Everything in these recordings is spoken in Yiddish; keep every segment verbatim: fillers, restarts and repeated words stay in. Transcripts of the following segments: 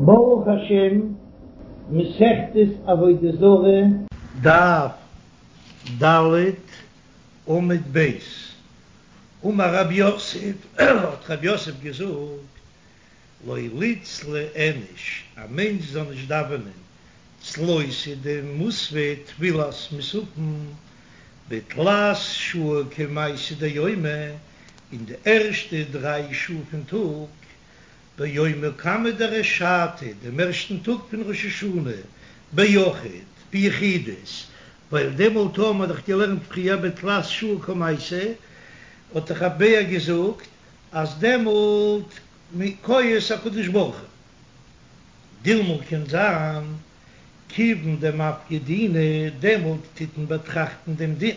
ברוך השם, מסכת עבודה זרה, דף ד, עמוד ב', אמר רב יוסף, האט רב יוסף געזאגט, לא ליצלי איניש, א מענטש זאל נישט דאווענען צלותא דמוספא תפילת מוספין בתלת שעה קמייתא דיומא, אין די ערשטע דריי שעה פון טאג, ביומא קמא דריש שעתא, דעם ערשטן טאג פון ראש השנה, ביחיד, ביחידות, ווייל דעמאלט האבן מיר דאך געלערנט פריער בתלת שעה קמייתא, האט דאך רבי מאיר געזאגט אז דעמאלט כועס הקדוש ברוך הוא. דילמא קען זיין כיוון דמפקי דינא, דעמאלט טוט מען באטראכטן דעם דין.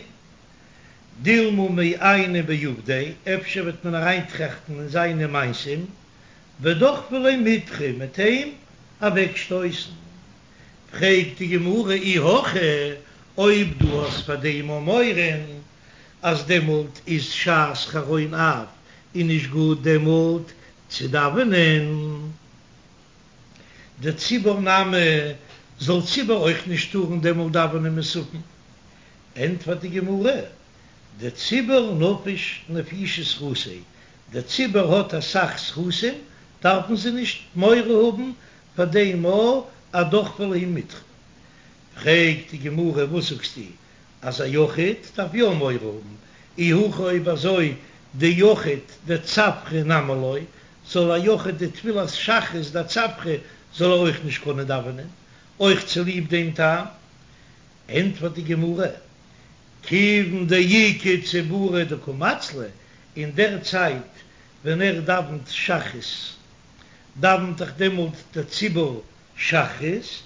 דילמא מעייני בעובדיה, אפשר וועט מען אריינטראכטן אין זיינע מעשים, ודחפי ליה מיטרא מ'עט אים אוועקשטויסן. פרעגט די גמרא אי הכי, אויב דו האסט פאר דעם א מורא אז דעמאלט איז שעת חרון אף און נישט גוט דעמאלט צו דאווענען, דציבור נמי, זאל ציבור אויך נישט טארן דעמאלט דאווענען מוספין. ענטפערט די גמרא, דציבור נפיש נפישי זכותיה, דער ציבור האט אסאך זכותים, דארפן זיי נישט מורא האבן פאר דעם אז דחפי ליה מיטרא. פרעגט די גמרא, וואס זאגסטו אז א יחיד דארף יא מורא האבן, אי הכי אויב אזוי דיחיד דצפרא נמי לא, זאל א יחיד די תפילת שחרית דצפרא זאל ער אויך נישט קענען דאווענען, אויך צוליב דעם טעם? ענטפערט די גמרא, כיוון דאיכא ציבורא דקא מצלי, אין דער צייט ווען ער דאווענט שחרית, דאווענט דאך דעמאלט דער ציבור שחרית,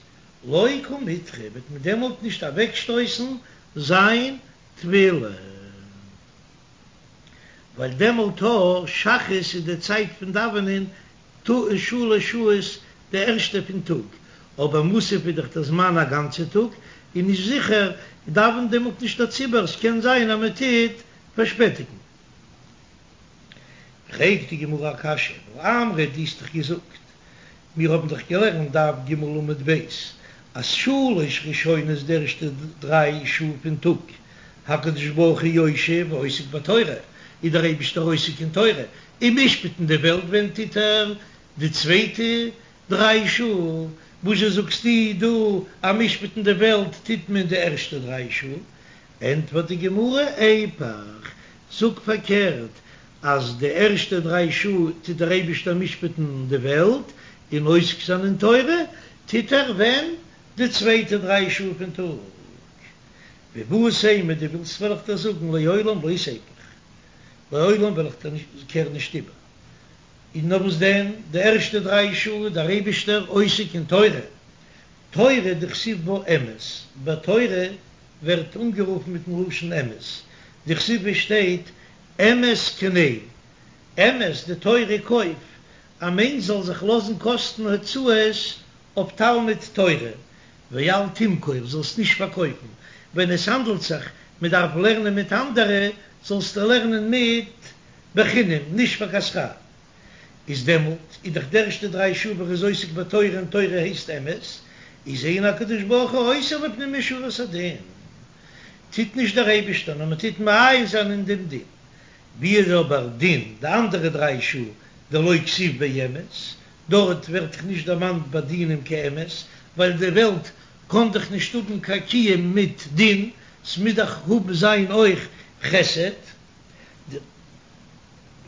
לא קא מיטחי, וועט מען דעמאלט נישט אוועקשטויסן זיין תפילה, ווייל דעמאלט א שחרית איז די צייט פון דאווענען שלש שעות די ערשטע פון טאג, אבער מוסף איז דאך דער זמן א גאנצע טאג, און נישט זיכער דאווענט דעמאלט נישט דער ציבור, ס'קען זיין אז מען טוט פארשפעטיגן. פרעגט די גמרא א קשיא, והאמרת דו האסט דאך געזאגט, מיר האבן דאך געלערנט דף ג עמוד ב', אז שלש ראשונות די ערשטע דריי שעה פון טאג, הקדוש ברוך הוא יושב ועוסק בתורה, איז דער אייבישטער עוסק אין תורה, און משפט'ן די וועלט ווען טוט ער די צווייטע דריי שעה, וואזשע זאגסטו דא אז משפט'ן די וועלט טוט מען די ערשטע דריי שעה? ענטפערט די גמרא, איפוך, זאג פארקערט, אז די ערשטע דריי שעה טוט דער אייבישטער משפט'ן די וועלט, און עוסק זיין אין תורה טוט ער ווען? די צווייטע דריי שעה פון טאג. ואיבעית אימא, דו ווילסט וועל איך דיר זאגן לעולם לא תיפוך, לעולם וועל איך דיר נישט קערן נישט איבער. און נאר וואס דען, די ערשטע דריי שעה איז דער אייבישטער עוסק אין תורה, תורה דכתיב בה אמת, ביי תורה ווערט אנגערופן מיטן לשון אמת, דכתיב עס שטייט אמת קנה, אמת די תורה קויף, א מענטש זאל זיך לאזן קאסטן הוצאות אויף תלמוד תורה, ואל תמכור, זאלסט נישט פארקויפן, ווען עס האנדלט זיך מען דארף לערנען מיט אנדערע, זאלסטו לערנען מיט בחינם, נישט פאר קיין שכר. איז דעמאלט איז דאך די ערשטע דריי שעה ווען ער איז עוסק בתורה און תורה הייסט אמת, איז אין הקדוש ברוך הוא עושה לפנים משורת הדין, טוט נישט דער אייבישטער נאר מען טוט מעיין זיין אין דעם דין, ווי איז אבער דין די אנדערע דריי שעה דלא כתיב ביה אמת, דארט ווערט דאך נישט דערמאנט ביי דינים קיין אמת, ווייל די וועלט קען דאך נישט האבן קיין קיום מיט דין, ס'מוז דאך האבן זיין אויך חסד.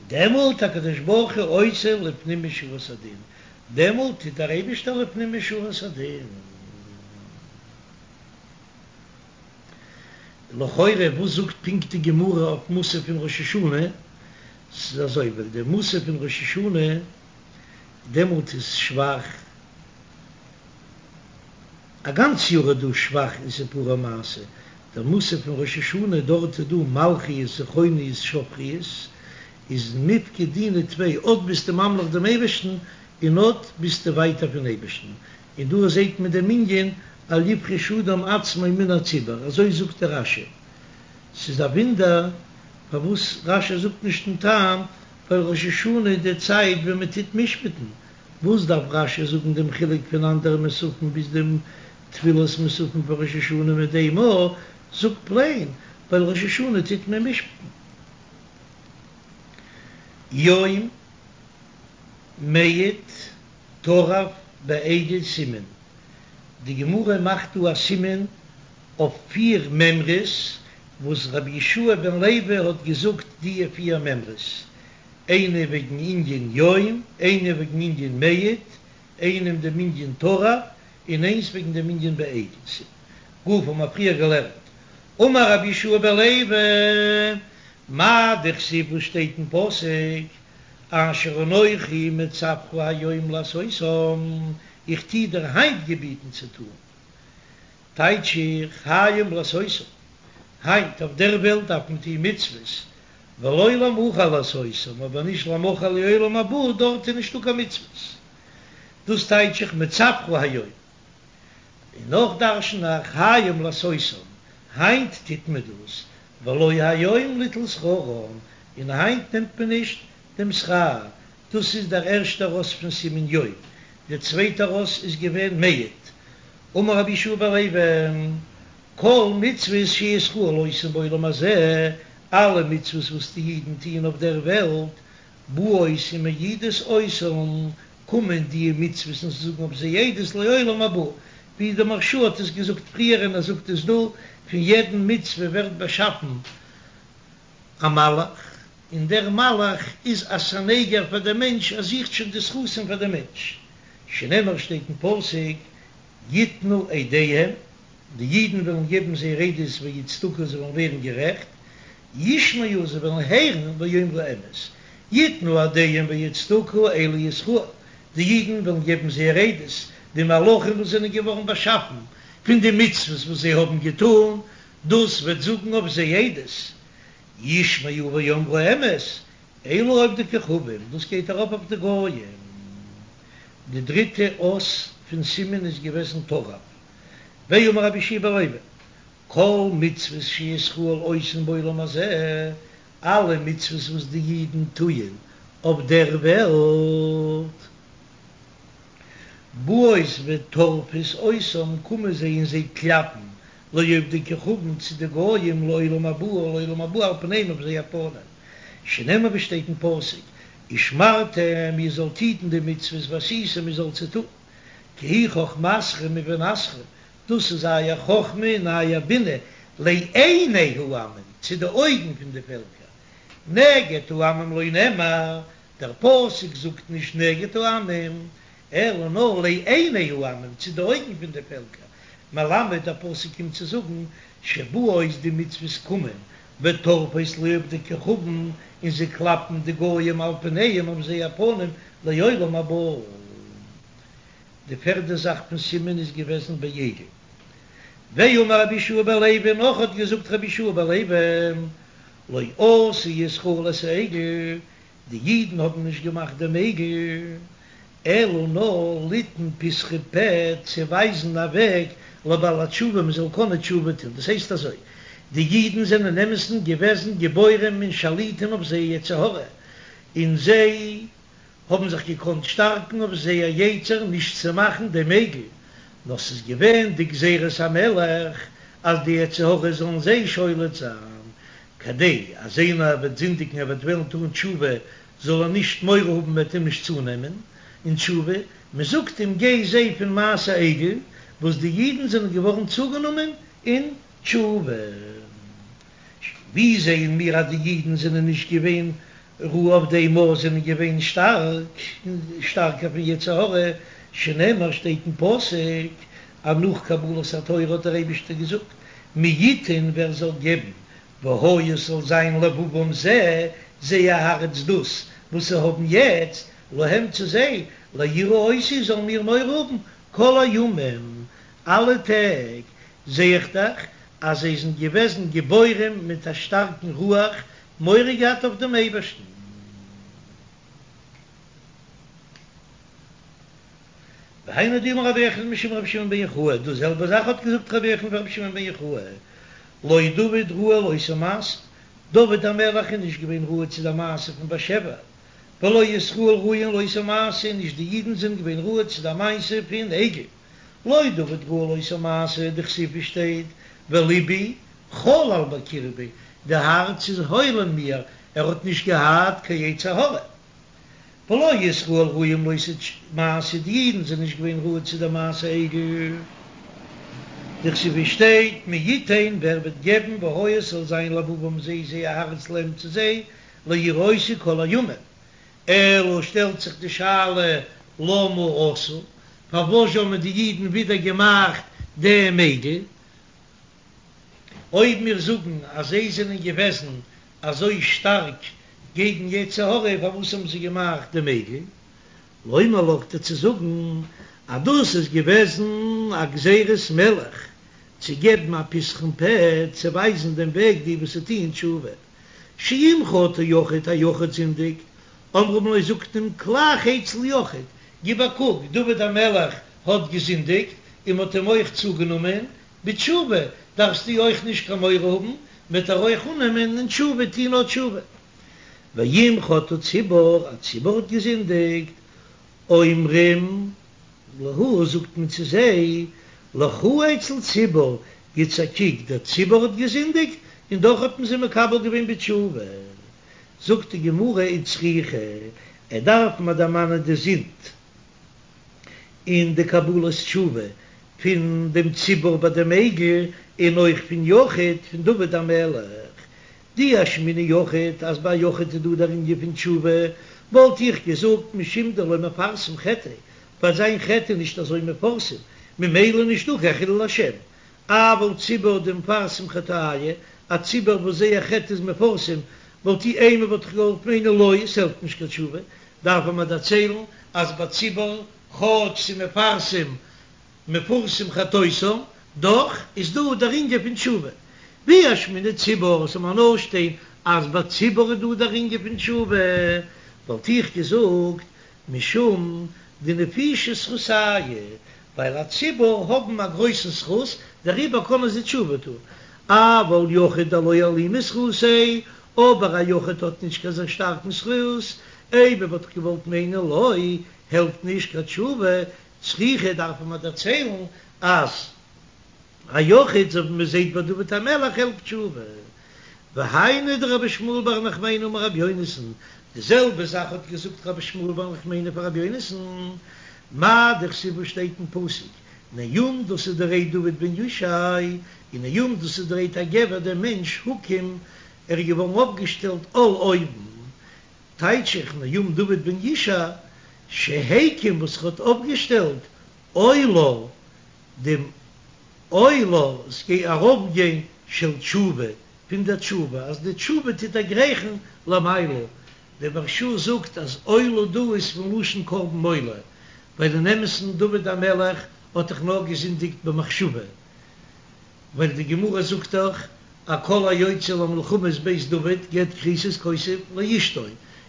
דעמאלט הקדוש ברוך הוא עושה לפנים משורת הדין, דעמאלט טוט דער אייבישטער לפנים משורת הדין. לכאורה וואס זאגט פונקט די גמרא אויף מוסף פון ראש השנה? ס'איז אזוי ווייל די מוסף פון ראש השנה דעמאלט איז שוואך, א גאנץ יאר איז דא שבח און סיפורי מעשה, דער מוסף פון ראש השנה דארט איז דא מלכיות זכרונות שופרות, איז מיפקא דינא טפי, אט ביסטו ממליך דעם אייבערשטן און אט ביסטו ווייטער פון אייבערשטן, און דא זעט מען דעם ענין אל יפריש אדם עצמו מן הציבור, אזוי זאגט דער רש"י, ס'איז א וואונדער פארוואס רש"י זאגט נישט דעם טעם, ווייל ראש השנה איז די צייט ווען מען טוט משפט'ן, וואס דארף רש"י זאגן דעם חילוק פון אנדערע מוספים ביז דעם תפילת מוספים פון ראש השנה מיט דעם א, זאג פלעין ווייל ראש השנה טוט מען משפטן. יום מעד טרף בעגל סימן, די גמרא מאכט דא א סימן אויף פיר מימרות וואס רבי יהושע בן לוי האט געזאגט דיע פיר מימרות, איינע וועגן ענין יום, איינע וועגן ענין מעד, איינע אין דעם ענין טרף, און איינס וועגן דעם ענין בעגל. גופא האבן מיר פריער געלערנט, אמר רבי יהושע בן לוי, מאי דכתיב וואס שטייט אין פסוק, אשר אנכי מצוך היום לעשותם, איך טוה דיר היינט געביטן צו טון, טייטש איך, היום לעשותם, היינט אויף דער וועלט דארף מען טון מצוות, ולא למחר לעשותם, אבער נישט למחר לעולם הבא, דארט איז נישטא קיין מצוות. דאס טייטש איך מצוך היום. און נאך דרשן איך היום לעשותם, היינט טוט מען דאס, ולא היום ליטול שכרם, און היינט נעמט מען נישט דעם שכר, דאס איז דער ערשטער אות פון סימן יום, דער צווייטער אות איז געווען מעד. אמר רבי יהושע בן לוי, כל מצוות שישראל עושים בעולם הזה, אלע מצוות וואס די אידן טוען אויף דער וועלט, באות ומעידות אותם, קומען די מצוות און זאגן אויף זיי עדות לעולם הבא, ווי דער מהרש"א האט עס געזאגט פריער און ער זאגט עס דא, פון יעדן מצוה ווערט באשאפן א מלאך, און דער מלאך איז א סניגור פאר דעם מענטש, ער זוכט שוין די זכותים פאר דעם מענטש, שנאמר שטייט אין פסוק, יתנו עדיהם, די אידן וועלן געבן זייער עדות ויצדקו זיי וועלן ווערן גערעכט, ישמעו זיי וועלן הערן ויאמרו אמת, יתנו עדיהם ויצדקו אלו ישראל, די אידן וועלן געבן זייער עדות, די מלאכים וואס זענען געווארן באשאפן פון די מצוות וואס זיי האבן געטאן, דאס וועט זאגן אויף זיי עדות, ישמעו ויאמרו אמת, אלו עובדי כוכבים, דאס גייט ארויף אויף די גויים. די דריטע אות פון סימן איז געוועזן טרף. ואמר רבי יהושע בן לוי, כל מצוות שישראל עושים בעולם הזה, אלע מצוות וואס די אידן טוען אויף דער וועלט, באות וטורפות אותם, קומען זיי און זיי קלאפן לעובדי כוכבים צו די גויים לעולם הבא לעולם הבא על פניהם אויף זייער פנים, שנאמר ווי שטייט אין פסוק, ושמרתם איר זאלט היטן די מצוות ועשיתם איר זאלט זיי טון, כי היא חכמתכם ובינתכם, דאס איז אייער חכמה און אייער בינה לעיני העמים, צו די אויגן פון די פעלקער, נגד העמים לא נאמר, דער פסוק זאגט נישט נגד העמים, אלא נאר לעיני העמים, צו די אויגן פון די פעלקער, מלמד דער פסוק קומט צו זאגן שבאות די מצוות קומען וטורפות לעובדי כוכבים און זיי קלאפן די גויים על פניהם אויף זייער פנים לעולם הבא. די פערדע זאך פון סימן איז געוועזן בעגל. ואמר רבי יהושע בן לוי נאך האט געזאגט רבי יהושע בן לוי לא עשו ישראל את העגל, די אידן האבן נישט געמאכט דעם עגל, אלא נאר ליתן פתחון פה צו ווייזן א וועג לבעלי התשובה מען זאל קענען תשובה טון, דאס הייסט אזוי, די אידן זענען אין אמת'ן געוועזן גיבורים און שליטים אויף זייער יצר הרע, און זיי האבן זיך געקאנט שטארקן אויף זייער יצר נישט צו מאכן דעם עגל, נאר ס'איז געווען די גזירת המלך אז די יצר הרע זאלן זיי שולט זיין, כדי אז איינער וועט זינדיגן ער וועט וועלן טון תשובה זאל ער נישט מורא האבן מ'וועט אים נישט צונעמען אין תשובה, מען זאגט אים גיי זע פון מעשה עגל וואס די אידן זענען געווארן צוגענומען אין תשובה. ווי זעען מיר אז די אידן זענען נישט געווען ראוי אויף דעם נאר זענען געווען שטארק, שטארקער פון יצר הרע, שנאמר שטייט אין פסוק אז נאך קבלת התורה האט דער אייבישטער געזאגט מי יתן ווער זאל געבן והיה ס'זאל זיין לבבם זה, זייער הארץ דאס וואס זיי האבן יעצט, להם צו זיי, ליראו אותי זאלן מיר מורא האבן, כל הימים, אלע טעג, זע איך דאך אז זיי זענען געוועזן גיבורים מיט א שטארקן רוח, מורא געהאט אויף דעם אייבערשטן. והיינו דאמר רבי יוחנן משום רבי שמעון בן יוחאי, דאס זעלבע זאך האט געזאגט רבי יוחנן פון רבי שמעון בן יוחאי, לא דוד ראוי לאותו מעשה, דוד המלך איז נישט געווען ראוי צו דער מעשה פון בת שבע, ולא ישראל ראויין לאותו מעשה, נישט די אידן זענען געווען ראוי צו די מעשה פון עגל, לא דוד ראוי לאותו מעשה, דכתיב ווי שטייט ולבי חלל בקרבי, די הארץ איז הויל אין מיר, ער האט נישט געהאט קיין יצר הרע. ולא ישראל ראויים לאותו מעשה, די אידן זענען נישט געווען ראוי צו די מעשה עגל, דכתיב ווי שטייט מי יתן ווער וועט געבן והיה ס'זאל זיין לבבם זיי זייער הארץ להם צו זיי ליראותי כל הימים, אלא שטעלט זיך די שאלה למה עשו, פארוואס האבן די אידן ווידער געמאכט דעם עגל, אויב מיר זאגן אז זיי זענען געוועזן אזוי שטארק געגן יצר הרע פארוואס האבן זיי געמאכט דעם עגל? לומר לך דיר צו זאגן אז דאס איז געוועזן א גזירת מלך צו געבן א פתחון פה צו ווייזן דעם וועג די וואס טוען תשובה שאם חטא יחיד א יחיד זינדיגט אומרים לו זאגט מען כלך אצל יחיד גיב א קוק דוד המלך האט געזינדיגט און מ'האט אים אויך צוגענומען בתשובה דארפסטו אויך נישט קיין מורא האבן, מ'וועט דיר אויך אננעמען און תשובה טון נאר תשובה. ואם חטא ציבור, א ציבור האט געזינדיגט, אומרים להו זאגט מען צו זיי, לכו אצל ציבור, גיטס א קוק, דער ציבור האט געזינדיגט און דאך האט מען זיי מקבל געווען בתשובה. זאגט די גמרא וצריכא, ער דארף מיר דערמאנען די זינד. און די קבלת תשובה פון דעם ציבור ביי דעם עגל, און אויך פון יחיד פון דוד המלך. דאי אשמעינן יחיד, אז ביי יחיד איז דא דער ענין פון תשובה, וואלט איך געזאגט משום דלא מפרסם חטאיה, ווייל זיין חטא איז נישט אזוי מפורסם, ממילא נישטא קיין חילול השם. אבל ציבור דמפרסם חטאייהו, א ציבור וואס זייער חטא איז מפורסם, וואלט איך אימא וואלט איך געוואלט מיינען לא, עס העלפט נישט קיין תשובה, דארף מען דערציילן אז ביי ציבור כאטש ס'מפרסם מפורסם חטאותם, דאך איז דא דער ענין פון תשובה. ואי אשמעינן ציבור, ס'זאל מיר נאר שטיין אז ביי ציבור איז דא דער ענין פון תשובה, וואלט איך געזאגט משום דנפישי זכותייהו, ווייל א ציבור האבן א גרויסן זכות, דעריבער קענען זיי תשובה טון, אבל יחיד דלא אלימא זכותיה, אבער א יחיד האט נישט קיין אזוי שטארקן זכות, אימא וואלט איך געוואלט מיינען לא, העלפט נישט קיין תשובה, צריכא דארף מען דערציילן אז א יחיד אזוי ווי מען זעט ביי דוד המלך העלפט תשובה. והיינו דרבי שמואל בר נחמני אמר רבי יונתן, די זעלבע זאך האט געזאגט רבי שמואל בר נחמני פאר רבי יונתן, מאי דכתיב וואס שטייט אין פסוק, נאום דאס איז די רייד דוד בן ישי, און נאום דאס איז די רייד הגבר דער מענטש הוקם ער איז געווארן אויפגעשטעלט על אויבן, טייטש איך נאום דוד בן ישי שהקים וואס ער האט אויפגעשטעלט עולה דעם עולה ס'גייט ארויפגיין של תשובה פון דער תשובה אז די תשובה טוט דערגרייכן למעלה, דער מהרש"א זאגט אז עולה דא איז פון לשון קרבן עולה, ווייל אין אמת'ן דוד המלך האט דאך נאר געזינדיגט במחשבה, ווייל די גמרא זאגט דאך אז כל היוצא למלחמות בית דוד גט כריתות כותב לאשתו,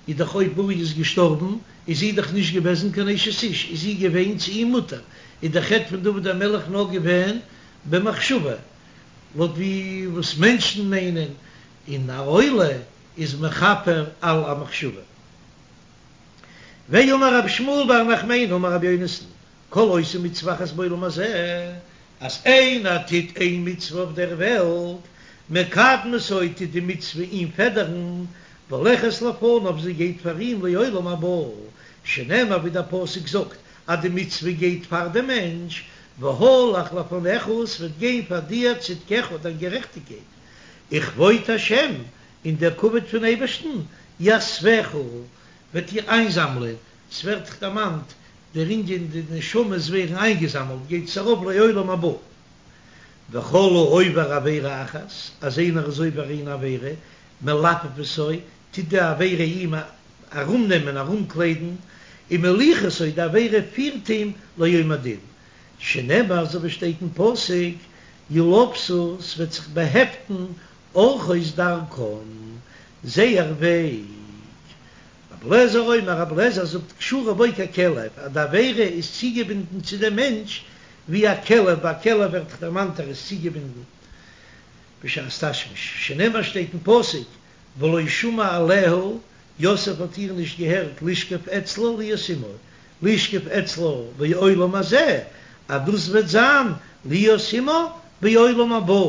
איז דאך אויב אוריה איז געשטארבן איז זי דאך נישט געוועזן קיין אשת איש, איז זי געווען צו אים מותר, איז דער חטא פון דוד המלך נאר געווען במחשבה, לויט ווי וואס מענטשן מיינען, און א עולה איז מכפר על המחשבה. ואמר רבי שמואל בר נחמני אמר רבי יונתן, כל העושה מצוה אחת בעולם הזה, אז איינער טוט איין מצוה אויף דער וועלט, מקדמתו טוט די מצוה אים פעדערן, והולכת לפניו זי גייט פאר אים לעולם הבא, שנאמר ווי דער פסוק זאגט אז די מצוה גייט פאר דעם מענטש, והלך לפניך ס'וועט גיין פאר דיר צדקך דיין גערעכטיגקייט, וכבוד השם און דער כבוד פון אייבערשטן, יאספך וועט דיר איינזאמלען, ס'ווערט דערמאנט דער ענין די נשמות ווערן איינגעזאמלט גייט עס ארויף לעולם הבא. וכל העובר עבירה אחת, אז איינער איז עובר איין עבירה, מלפפתו, טוט די עבירה אים ארומנעמען, ארומקליידן, ומוליכתו, די עבירה פירט אים ליום הדין, שנאמר אזוי ווי שטייט אין פסוק, ילבשו, ס'וועט זיך באהעפטן ארחות דרכם, זייער וועג. רבי אליעזר אומר, רבי אליעזר זאגט קשורה בו ככלב, אז די עבירה איז צוגעבינדן צו דעם מענטש ווי א כלב, ביי א כלב ווערט דאך דערמאנט ער איז צוגעבינדן בשעת תשמיש, שנאמר שטייט אין פסוק ולא שמע אליה, יוסף האט איר נישט געהערט לשכב אצלה להיות עמה, לשכב אצלה בעולם הזה, אז דאס וועט זיין להיות עמה בעולם הבא.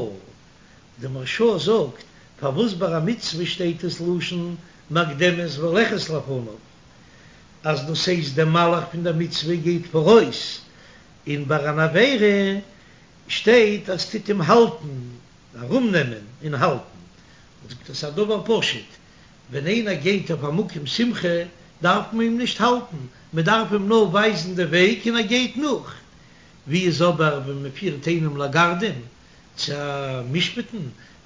די מהרש"א זאגט, פארוואס ביי א מצוה שטייט עס לשון מקדמת והולכת לפניו, אז דאס הייסט דער מלאך פון דער מצוה גייט פאראויס, און ביי אן עבירה שטייט אז טוט אים האלטן, ארומנעמען און האלטן. זאגט ער ס'איז א דבר פשוט, ווען איינער גייט אויף א מקום שמחה דארף מען אים נישט האלטן, מען דארף אים נאר ווייזן די וועג און ער גייט נאך. ווי איז אבער ווען מען פירט איינעם לגרדום צו משפט'ן,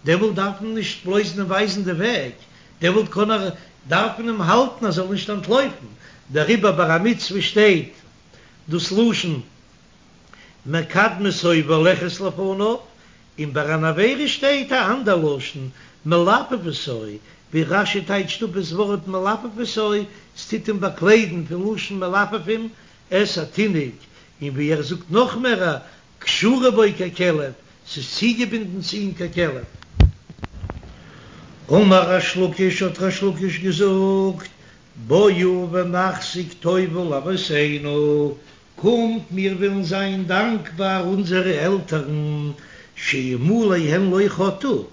דעמאלט דארף מען נישט בלויז אים ווייזן די וועג, דעמאלט קען ער, דארף מען אים האלטן ער זאל נישט אנטלויפן, דעריבער ביי א מצוה שטייט דאס לשון מקדמתו והולכת לפניו, און ביי אן עבירה שטייט א אנדער לשון מלפפתו, ווי רש"י טייטשט אפ דאס ווארט מלפפתו, ס'טוט אים באקליידן פון לשון מלפפים את התינוק, און ווי ער זאגט נאך מער קשורה בו ככלב, ס'איז צוגעבינדן צו אים ככלב. אמר ריש לקיש האט ריש לקיש געזאגט, בואו ונחזיק טובה לאבותינו, קומט מיר ווילן זיין דאנקבאר אונזערע עלטערן, שאלמלא הן לא חטאו,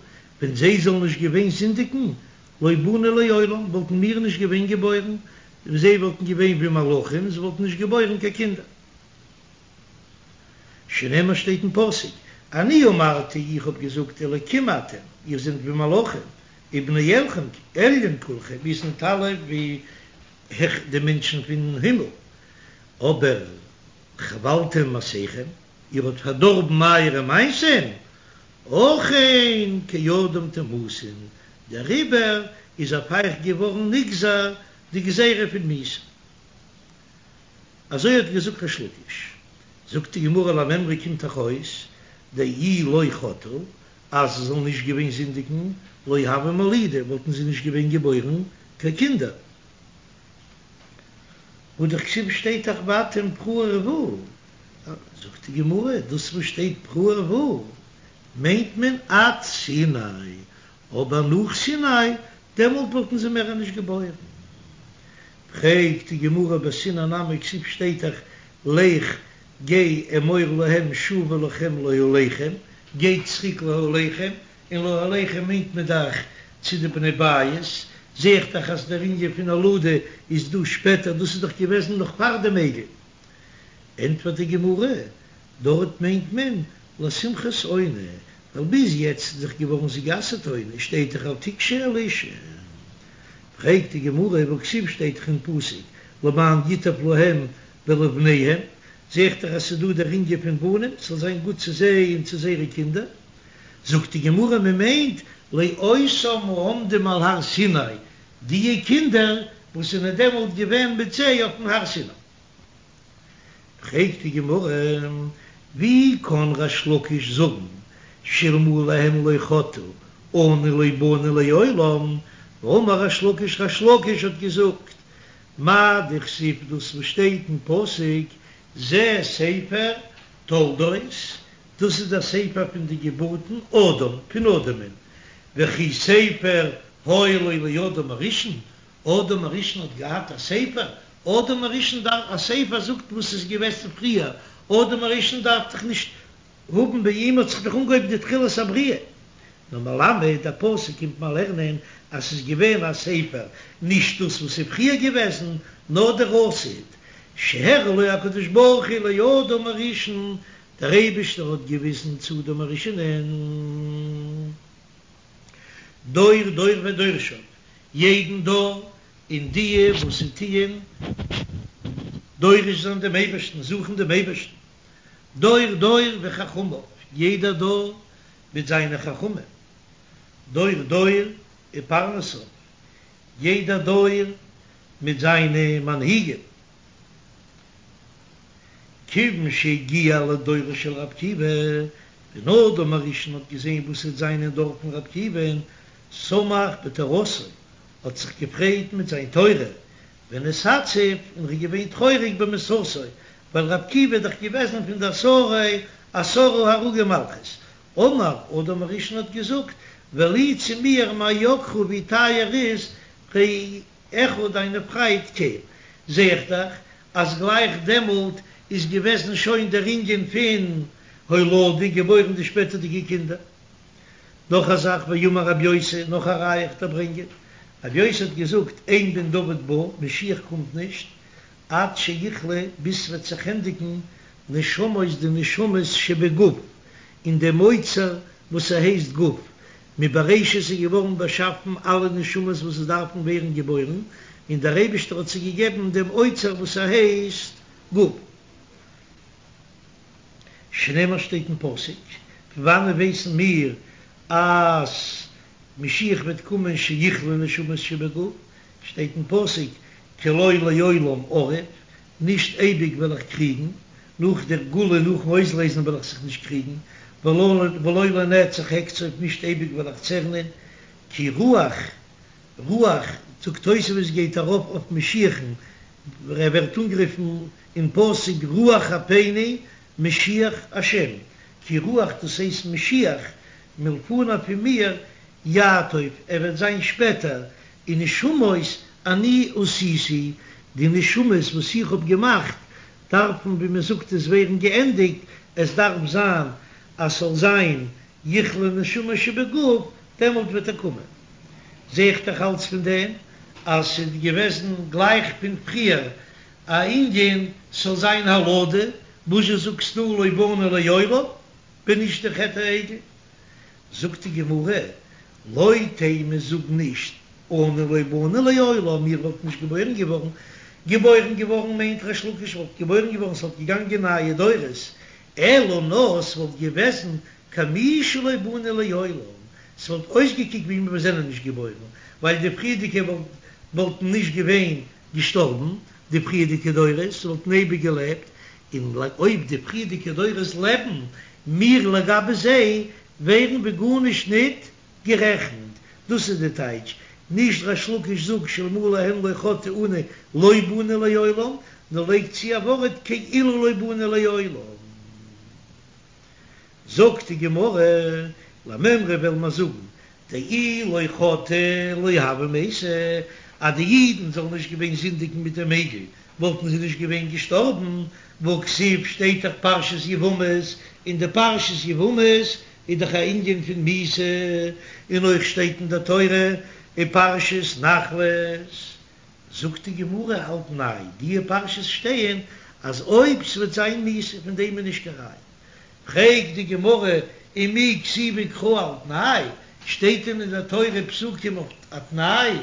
ווען זיי זאלן נישט געווען זינדיגן, לא באנו לעולם, וואלטן מיר נישט געווען געבוירן, און זיי וואלטן געווען ווי מלאכים, זיי וואלטן נישט געבוירן קיין קינדער. שנאמר שטייט אין פסוק, אני אמרתי איך האב געזאגט אלקים אתם, איר זענט ווי מלאכים, ובני עליון כולכם, איר זענט אלע ווי העכער די מענטשן פון הימל, אבער חבלתם מעשיכם, איר האט פארדארבן אייערע מעשים, אכן כאדם תמותון, דעריבער איז אויף אייך געווארן נגזר די גזירה פון מיתה. אזוי האט געזאגט ריש לקיש. זאגט די גמרא למימרא קומט דאך אויס דאי לא חטאו אז זיי זאלן נישט געווען זינדיגן לא הוו מלידי וואלטן זיי נישט געווען געבוירן קיין קינדער. והא דכתיב שטייט דאך ואתם פרו ורבו, זאגט די גמרא דאס וואס שטייט פרו ורבו מיינט מען עד סיני, אבער נאך סיני דעמאלט וואלטן זיי מער נישט געבוירן. פרעגט די גמרא בסיני נמי כתיב שטייט דאך לך גיי אמור להם שובו לכם לאהליכם, גייט צוריק לאהליכם, און לאהליכם מיינט מען דאך צו די בני בית, זעה איך דאך אז דער ענין פון הולדה איז דא שפעטער, דאס איז דאך געוועזן נאך פאר דעם עגל. ענטפערט די גמרא, דארט מיינט מען לשמחת עונה, ווייל ביז יעצט איז דאך געווארן זי גע'אסר'ט עונה, שטייט דאך אל תגשו אל אשה. פרעגט די גמרא, והכתיב שטייט דאך אין פסוק למען ייטב להם ולבניהם, זעה איך דאך אז ס'איז דא דער ענין פון בנים, ס'זאל זיין גוט צו זיי און צו זייערע קינדער. זאגט די גמרא, מען מיינט לאותם העומדים על הר סיני, דיע קינדער וואס זענען דעמאלט געווען מיט זיי אויפן הר סיני. פרעגט די גמרא, ווי קען ריש לקיש זאגן שאלמלא הן לא חטאו אנו לא באנו לעולם, והאמר ריש לקיש ריש לקיש האט געזאגט, מאי דכתיב דאס וואס שטייט אין פסוק זה ספר תולדות, דאס איז דער ספר פון די געבורטן אדם, פון אדם'ן, וכי ספר היה לו לאדם הראשון, אדם הראשון האט געהאט א ספר? אדם הראשון דארף א ספר זאגט וואס איז געוועזן פריער, אדם הראשון דארף דאך נישט האבן ביי אים האט זיך דאך אנגעהויבן די תחילת הבריאה, נאר מלמד דער פסוק קומט מיר לערנען אז ס'איז געווען א ספר, נישט דאס וואס איז פריער געוועזן, נאר דער עתיד, שהראה לו הקדוש ברוך הוא לאדם הראשון, דער אייבישטער האט געוויזן צו אדם הראשונ'ען. דור דור ודורשיו, יעדן דור און דיע וואס ס'טוען דורש זיין דעם אייבערשטן, זוכן דעם אייבערשטן, דור דור וחכמיו, יעדער דור מיט זיינע חכמים, דור דור ופרנסיו, יעדער דור מיט זיינע מנהיגים. כיוון שהגיע לדורו של רבי עקיבא, ווען אדם הראשון האט געזען וואס ס'וועט זיין אין דור פון רבי עקיבא'ן, שמח בתורתו, האט זיך געפרייט מיט זיין תורה, ונתעצב, און ר'איז געווען טרויעריג במיתתו, ווייל רבי עקיבא איז דאך געוועזן פון די עשרה עשרה הרוגי מלכות. אמר, אדם הראשון האט געזאגט, ולי צו מיר מה יקרו ווי טייער איז אחיך דיינע פריינט קל, זע איך דאך אז גלייך דעמאלט איז געוועזן שוין דער ענין פון הולדה, געבוירן די שפעטערדיגע קינדער. נאך א זאך, ואמר רבי יוסי, נאך א ראיה איך דיר ברענגען, רבי יוסי האט געזאגט, אין בן דוד בא, משיח קומט נישט, עד שיכלו, ביז ס'וועט זיך ענדיגן, נשמות די נשמות שבגוף, אין דעם אוצר וואס ס'הייסט גוף, מבראשית איז געווארן באשאפן אלע נשמות וואס עס דארפן ווערן געבוירן, און דער אייבישטער האט זיי געגעבן דעם אוצר וואס ס'הייסט גוף. שנאמר שטייט אין פסוק, פון וואנען ווייסן מיר אז משיח וועט קומען שיכלו נשמות שבגוף, שטייט אין פסוק כי לא לעולם אריב, נישט אייביג וועל איך קריגן, נאך דער גאולה נאכן אויסלייזן וועל איך זיך נישט קריגן, ולא לנצח אקצוף נישט אייביג וועל איך צערנען, כי רוח רוח, זאגט תוספות גייט ארויף אויף משיח'ן, ער ווערט אנגערופן אין פסוק רוח אפינו משיח השם, כי רוח דאס הייסט משיח, מלפני פון מיר יעטוף, ער וועט זיין שפעטער, ונשמות אני עשיתי, די נשמות וואס איך האב געמאכט דארפן ווי מען זאגט עס ווערן געענדיגט, עס דארף זיין אז ס'זאל זיין יכלו נשמות שבגוף, דעמאלט וועט ער קומען. זע איך דאך אלץ פון דעם אז ס'איז געוועזן גלייך פון פריער א ענין ס'זאל זיין הולדה, וואזשע זאגסטו לא באנו לעולם ווען נישט די חטא העגל? זאגט די גמרא, לא תימא זאג נישט אנו לא באנו לעולם מיר וואלטן נישט געבוירן געווארן, געבוירן געווארן מיינט ריש לקיש וואלט געבוירן געווארן ס'וואלט געגאנגען נייע דורות, אלא נאר ס'וואלט געוועזן כמי שלא באנו לעולם, ס'וואלט אויסגעקוקט ווי מיר זענען נישט געבוירן, ווייל די פריערדיגע וואלטן נישט געווען געשטארבן, די פריערדיגע דורות וואלטן אייביג געלעבט, און אויב די פריערדיגע דורות לעבן, מיר לגבי זיי ווערן ווי גארנישט ניט גערעכנט. דאס איז די טייטש, נישט ריש לקיש זאגט שאלמלא הן לא חטאו אנו לא באנו לעולם, נאר לייגט צו א ווארט כאילו לא באנו לעולם. זאגט די גמרא, למימרא וועל מיר זאגן, דאי לא חטאו לא הוו מייתי, אז די אידן זאלן נישט געווען זינדיגן מיט דעם עגל, וואלטן זיי נישט געווען געשטארבן, והכתיב שטייט דאך פרשת יבמות, אין די פרשת יבמות איז דאך א ענין פון מיתה, און אויך שטייט אין די תורה אין פרשת נחלות, זאגט די גמרא על תנאי, די פרשות שטייען אז אויב ס'וועט זיין מיתה פון דעם איז נישט קיין ראיה, פרעגט די גמרא ומי כתיבי קרא על תנאי, שטייט דען אין די תורה פסוקים אויף א תנאי? אין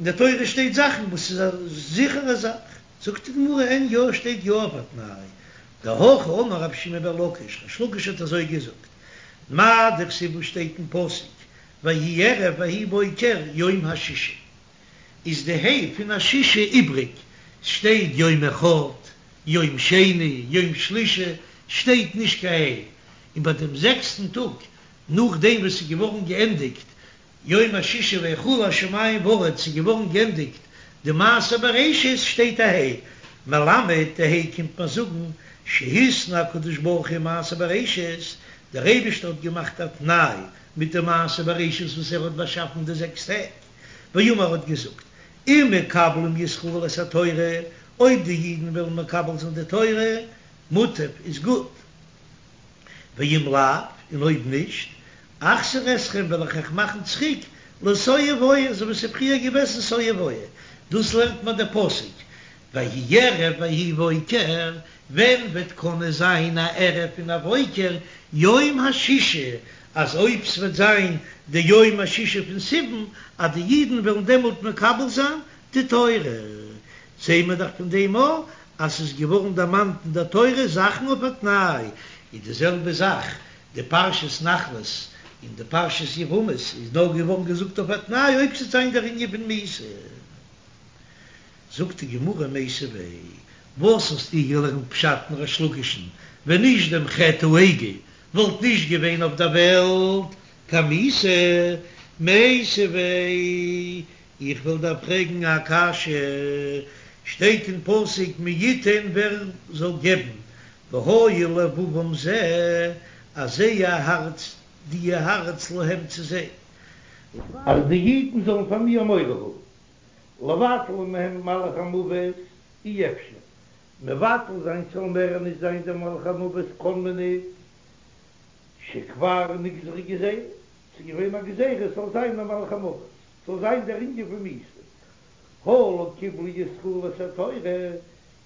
די תורה שטייט זאכן וואס איז א זיכערע זאך, זאגט די גמרא אין יא שטייט יא אויף א תנאי, דהכי אמר רבי שמעון בן לקיש, ריש לקיש האט אזוי געזאגט, מאי דכתיב וואס שטייט אין פסוק ויהי ערב ויהי בוקר יום השישי, איז די ה' פון השישי איבריג, ס'שטייט יום אחד, יום שני, יום שלישי, שטייט נישט קיין ה', און ביי דעם זעקסטן טאג נאכדעם וואס ס'איז געווארן געענדיגט יום השישי ויכלו השמים והארץ ס'איז געווארן גענדיגט די מעשה בראשית שטייט א ה' מלמד די ה' קומט מיר זאגן שהתנה הקדוש ברוך הוא מעשה בראשית דער אייבישטער האט געמאכט א תנאי מיט די מעשה בראשית וואס ער האט באשאפן די זעקס טעג ואמר האט געזאגט אם מקבלים ישראל את התורה אויב די אידן וועלן מקבל זיין די תורה מוטב איז גוט. ואם לאו, און אויב נישט, אחזיר אתכם וועל איך אייך מאכן צוריק לתוהו ובוהו, אזוי ווי ס'איז פריער געוועזן תוהו ובוהו, דאס לערנט מיר דער פסוק, ויהי ערב ויהי בוקר, ווען וועט קענען זיין א ערב און א בוקר, יום השישי, אז אויב ס'וועט זיין די יום השישי פון סיוון, אז די אידן וועלן דעמאלט מקבל זיין די תורה, זעהן מיר דאך פון דעם אויך אז ס'איז געווארן דערמאנט אין דער תורה זאכן אויף א תנאי, איז די זעלבע זאך די פרשת נחלות און די פרשת יבמות איז נאר געווארן געזאגט אויף א תנאי אויב ס'וועט זיין דער ענין פון מיתה. זאגט די גמרא מיתיבי, וואס האסטו געלערנט פשט אין ריש לקיש'ן, ווען נישט דעם חטא העגל וואלט נישט געווען אויף דער וועלט קיין מיתה, מיתיבי, איך וויל דיר פרעגן א קשיא, שטייט אין פסוק מי יתן ווער זאל געבן, והיה לבבם זה, אז זייער הארץ, דיע הארץ להם צו זיי. אז די אידן זאלן פאר מיר מורא האבן. לבטל מהם מלאך המוות אי אפשר, מבטל זיין ס'זאל מער נישט זיין דער מלאך המוות קען מען ניט, שכבר נגזרה גזירה, ס'איז געווען א גזירה ס'זאל זיין א מלאך המוות, ס'זאל זיין דער ענין פון מיתה, הא לא קיבלו ישראל את התורה,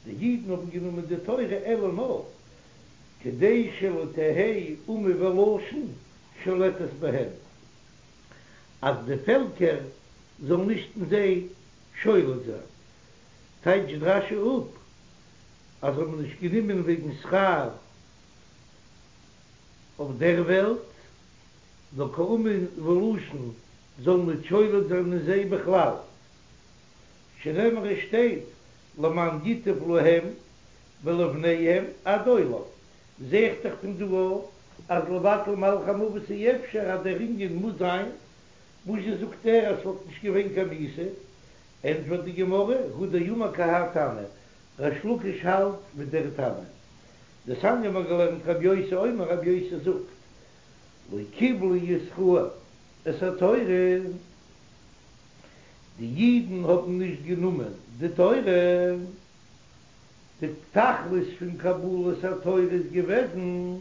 די אידן האבן גענומען די תורה אלא נאר כדי שלא תהא אומה ולשון שולטת בהם, אז די פעלקער זאלן נישט אין זיי שולט זיין, טייטשט רש"י אפ אז זיי האבן נישט גענומען וועגן שכר אויף דער וועלט, נאר קיין אומה ולשון זאל נישט שולט זיין אין זיי בכלל, שנאמר עס שטייט למען ייטב להם ולבניהם עד עולם, זעהט דאך פון דא אז לבטל מלאך המוות אי אפשר אז דער ענין מוז זיין, וואזשע זאגט ער אז ס'וואלט נישט געווען קיין מיתה? ענטפערט די גמרא, הוא דאמר כי האי תנא, ריש לקיש האלט מיט דער תנא. דתניא מ'האט געלערנט רבי יוסי אומר רבי יוסי זאגט, לא קיבלו ישראל את התורה, די אידן האבן נישט גענומען די תורה, די תכלית פון קבלת התורה איז געוועזן,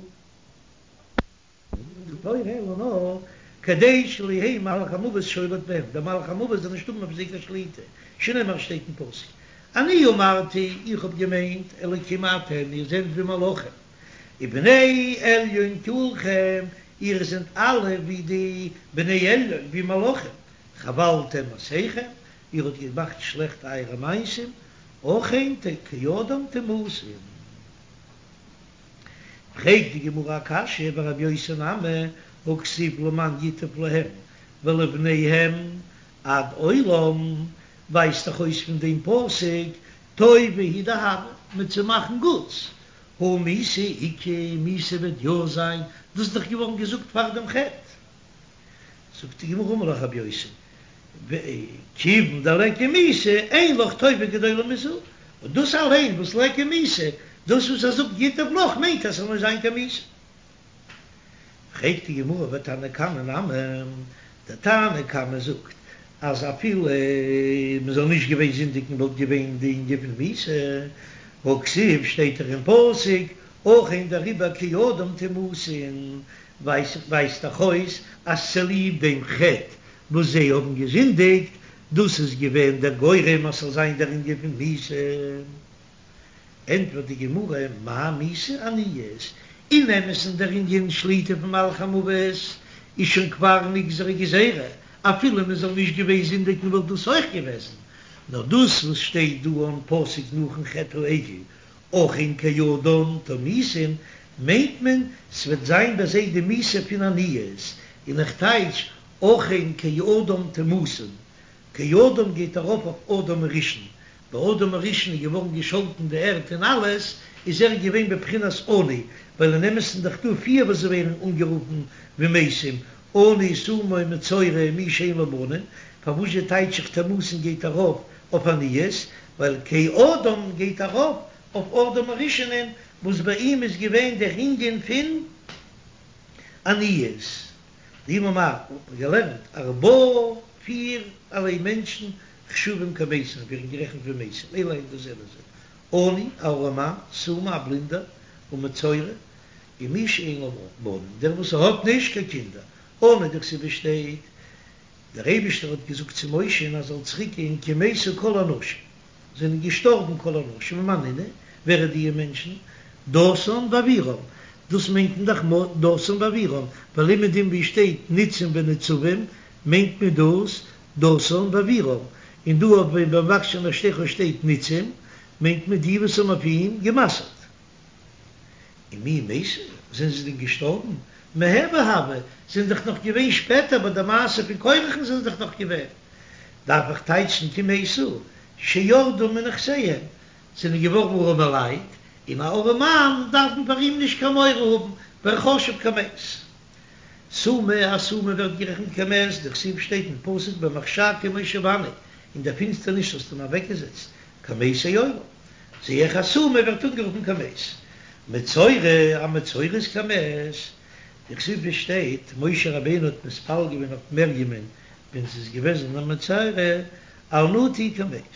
די תורה אלא נאר כדי שלא יהא מלאך המוות שולט בהם, דער מלאך המוות זאל נישט האבן אויף זיי קיין שליטה, שנאמר שטייט אין פסוק, אני אמרתי, איך האב געמיינט, אלוקים אתם, איר זענט ווי מלאכים, ובני עליון כולכם, איר זענט אלע ווי די בני עליון, ווי מלאכים, חבלתם מעשיכם, איר האט געמאכט שלעכט אייערע מעשים, אכן כאדם תמותון. פרעגט די גמרא א קשיא ורבי יוסי נמי הכתיב למען ייטב להם ולבניהם עד עולם, ווייזט דאך אויס פון דעם פסוק טובה היא דהוה, מיט צו מאכן גוטס, הא מיתה איכא, מיתה וועט יא זיין, דאס איז דאך געווארן געזאגט פאר דעם חטא. זאגט די גמרא אמר לך רבי יוסי, כיוון דליכא מיתה אין לך טובה גדולה מזו, און דאס אליין וואס ליכא מיתה, דאס וואס ער זאגט ייטב לך מיינט אז ס'זאל נישט זיין קיין מיתה. פרעגט די גמרא ותנא קמא נמי, דער תנא קמא זאגט אז אפילו מען זאל נישט געווען זינדיגן וואלט געווען די ענין פון מיתה, והכתיב שטייט דאך אין פסוק אכן דעריבער כאדם תמותון, ווייזט דאך אויס אז צוליב דעם חטא וואס זיי האבן געזינדיגט, דאס איז געווען דער גורם אז ס'זאל זיין דער ענין פון מיתה. ענטפערט די גמרא, מאי מיתה עניות, אין אמת'ן דער ענין שליטה פון מלאך המוות איז שוין כבר נגזרה גזירה, אפילו מען זאל נישט געווען זינדיגן וואלט דאס אויך געוועזן, נאר דאס וואס שטייט דא אין פסוק נאכן חטא העגל אכן כאדם תמותון, מיינט מען ס'וועט זיין ביי זיי די מיתה פון עניות, און איך טייטש אכן כאדם תמותון, כאדם גייט ארויף אויף אדם הראשון, ביי אדם הראשון איז געווארן געשאלטן די ערד און אלעס, איז ער געווען בבחינת עני, ווייל אין אמת'ן דאך דא פיר וואס ווערן אנגערופן ווי מתים, עני, סומא, מצורע, מי שאין לו בנים, פארוואזשע טייטש איך תמותון גייט ארויף אויף עניות, ווייל כאדם גייט ארויף אויף אדם הראשונ'ען וואס ביי אים איז געווען דער ענין פון עניות. דאמר מר האט מען געלערנט ארבעה פיר ערליי מענטשן חשובים כמתים ווערן גערעכנט ווי מתים אלו הן דאס זענען זיי עני א ארעמאן סומא א בלינדער ומצורע און מי שאין לו בנים דער וואס האט נישט קיין קינדער עני דכתיב שטייט דער אייבישטער האט געזאגט צו משה'ן אז ער זאל צוריק גיין כי מתו כל האנשים, זענען געשטארבן כל האנשים, ומאן נינהו, ווער איז דיע מענטשן? דתן ואבירם, דאס מיינט מען דאך דתן ואבירם, ווייל אומעדום ווי שטייט ניצים ונצבים מיינט מען דאס דתן ואבירם, און דא אויף ביי במבקשי נפשך שטייט ניצים מיינט מען די וואס האבן אויף אים גע'מסר'ט. ומי מתו, זענען זיי דען געשטארבן? מהוי הוו, זענען דאך נאך געווען שפעטער ביי די מעשה פון קורח'ן זענען זיי דאך נאך געווען. דארף איך טייטשן כי מתו, שירדו מנכסיהם, זענען געווארן ארעמעלייט, און א ארעמאן דארף מען פאר אים נישט קיין מורא האבן, ווייל חשוב כמת. סומא, א סומא ווערט גערעכנט כמת, דכתיב שטייט אין פסוק במחשכים הושיבני, אין דער פינסטערניש האסטו אים אוועקגעזעצט, כמתי עולם. זע איך א סומא ווערט אנגערופן כמת. מצורע, א מצורע איז כמת. דכתיב ווי שטייט, משה רבינו האט מתפלל געווען אויף מרים'ען ווען זי איז געוועזן א מצורע, אל נא תהי כמת,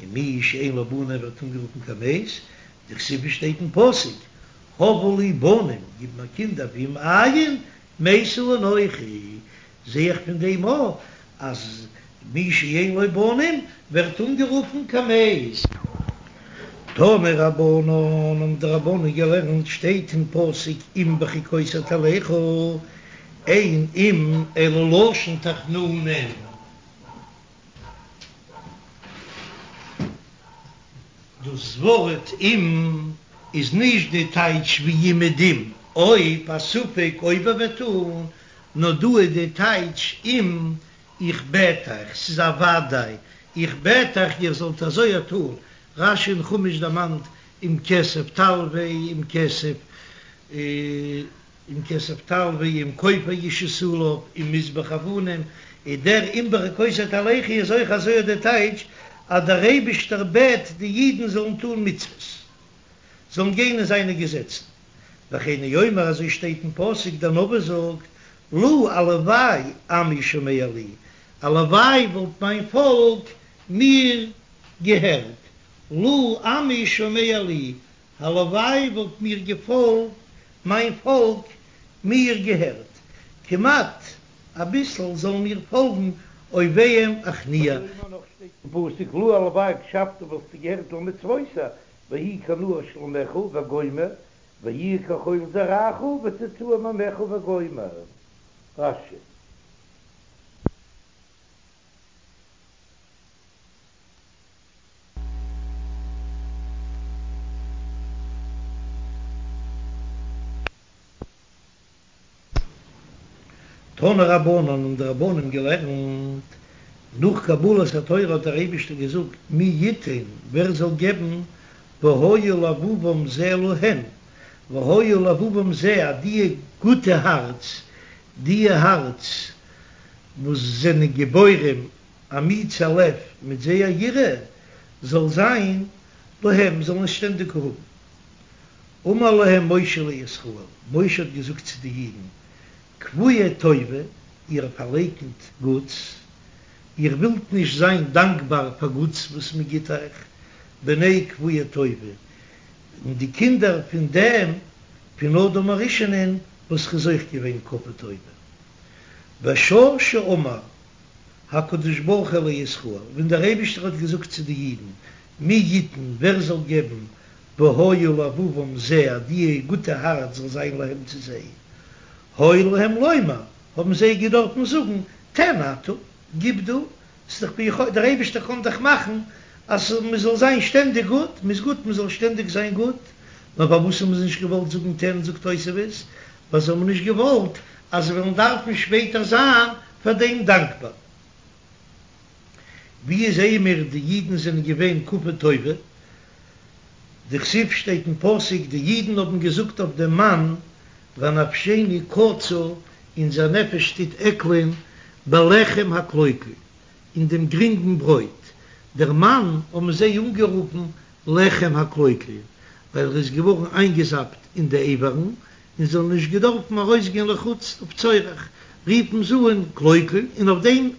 און מי שאין לו בנים ווערט אנגערופן כמת, דכתיב שטייט אין פסוק, הבה לי בנים, גיב מיר קינדער ואם אין, מתה אנכי, זע איך פון דעם אויך אז מי שאין לו בנים ווערט אנגערופן כמת. תנו רבנן האבן די רבנן געלערנט שטייט אין פסוק אם בחוקותי תלכו, אין אם אלא לשון תחנונים. דאס ווארט אם איז נישט די טייטש ווי אומעדום, אויב, א ספק אויב ער וועט טון, נאר דא איז די טייטש אם, איך בעט אייך, ס'איז א וודאי, איך בעט אייך איר זאלט אזוי א טון, רש"י אין חומש דערמאנט אם כסף תלוה, אם כסף אם כסף תלוה, אם כופר ישית עליו, אם מזבח אבנים, איז דער אם בחוקותי תלכו איז אויך אזוי די טייטש אז דער אייבישטער בעט די אידן זאלן טון מצוות, זאלן גיין אין זיינע געזעצן, וכן הוא אומר אזוי שטייט אין פסוק דער נביא זאגט לו הלוואי עמי שומע לי, הלוואי וואלט מיין פאלק מיר געהערט, לו עמי שומע לי, הלוואי וואלט מיר געפאלגט, מיין פאלק מיר געהערט, כמעט אביסל זאלן מיר פאלגן אויביהם אכניע. נאך שטייט אין פסוק לו הלוואי הקשבת וואלסטו געהערט למצותי, ויהי כנהר שלומך וגומר, ויהי כחול זרעך וצאצאי מימיך וגומר. רש"י. תנו רבנן האבן די רבנן געלערנט, נאך קבלת התורה האט דער אייבישטער געזאגט מי יתן, ווער זאל געבן, והיה לבבם זה להם, והיה לבבם זה אז דיע גוטע הארץ, דיע הארץ וואס זענען גיבורים אמיצי לב מיט זייער יראה זאל זיין להם, זאלן עס שטענדיג האבן. אמר להם משה לישראל, משה האט געזאגט צו די אידן, כפויי טובה, איר פארלייקנט גוטס, איר ווילט נישט זיין דאנקבאר פאר גוטס וואס מען גיט אייך, בני כפויי טובה, און די קינדער פון דעם, פון אדם הראשונ'ען, וואס איז אויך געווען כפוי טובה. בשעה שאמר הקדוש ברוך הוא לישראל, ווען דער אייבישטער האט געזאגט צו די אידן, מי יתן, ווער זאל געבן, והיה לבבם זה, אז די גוטע הארץ זאל זיין להם צו זיי, היה להם לומר, האבן זיי געדארפן זאגן, תן אתה, גיב דו, ס'איז דאך ביכולת, דער אייבישטער קען דאך מאכן אז מ'זאל זיין שטענדיג גוט, מ'איז גוט מ'זאל שטענדיג זיין גוט, נאר פארוואס האבן זיי נישט געוואלט זאגן תן, זאגט תוספות, ווייל זיי האבן נישט געוואלט אז זיי וועלן דארפן שפעטער זיין פאר דעם דאנקבאר. ווי זעען מיר די אידן זענען געווען כפוי טובה? דכתיב שטייט אין פסוק די אידן האבן געזאגט אויף דעם מן ונפשנו קצה אונזער נפש טוט עקלען בלחם הקלוקל אין דעם גרינגן ברויט, דער מן האבן זיי אנגערופן לחם הקלוקל ווייל ער איז געווארן איינגעזאפט אין די אברים און זיי האבן נישט געדארפן ארויסגיין לחוץ אויף צורך, רופן זיי אן קלוקל און אויף דעם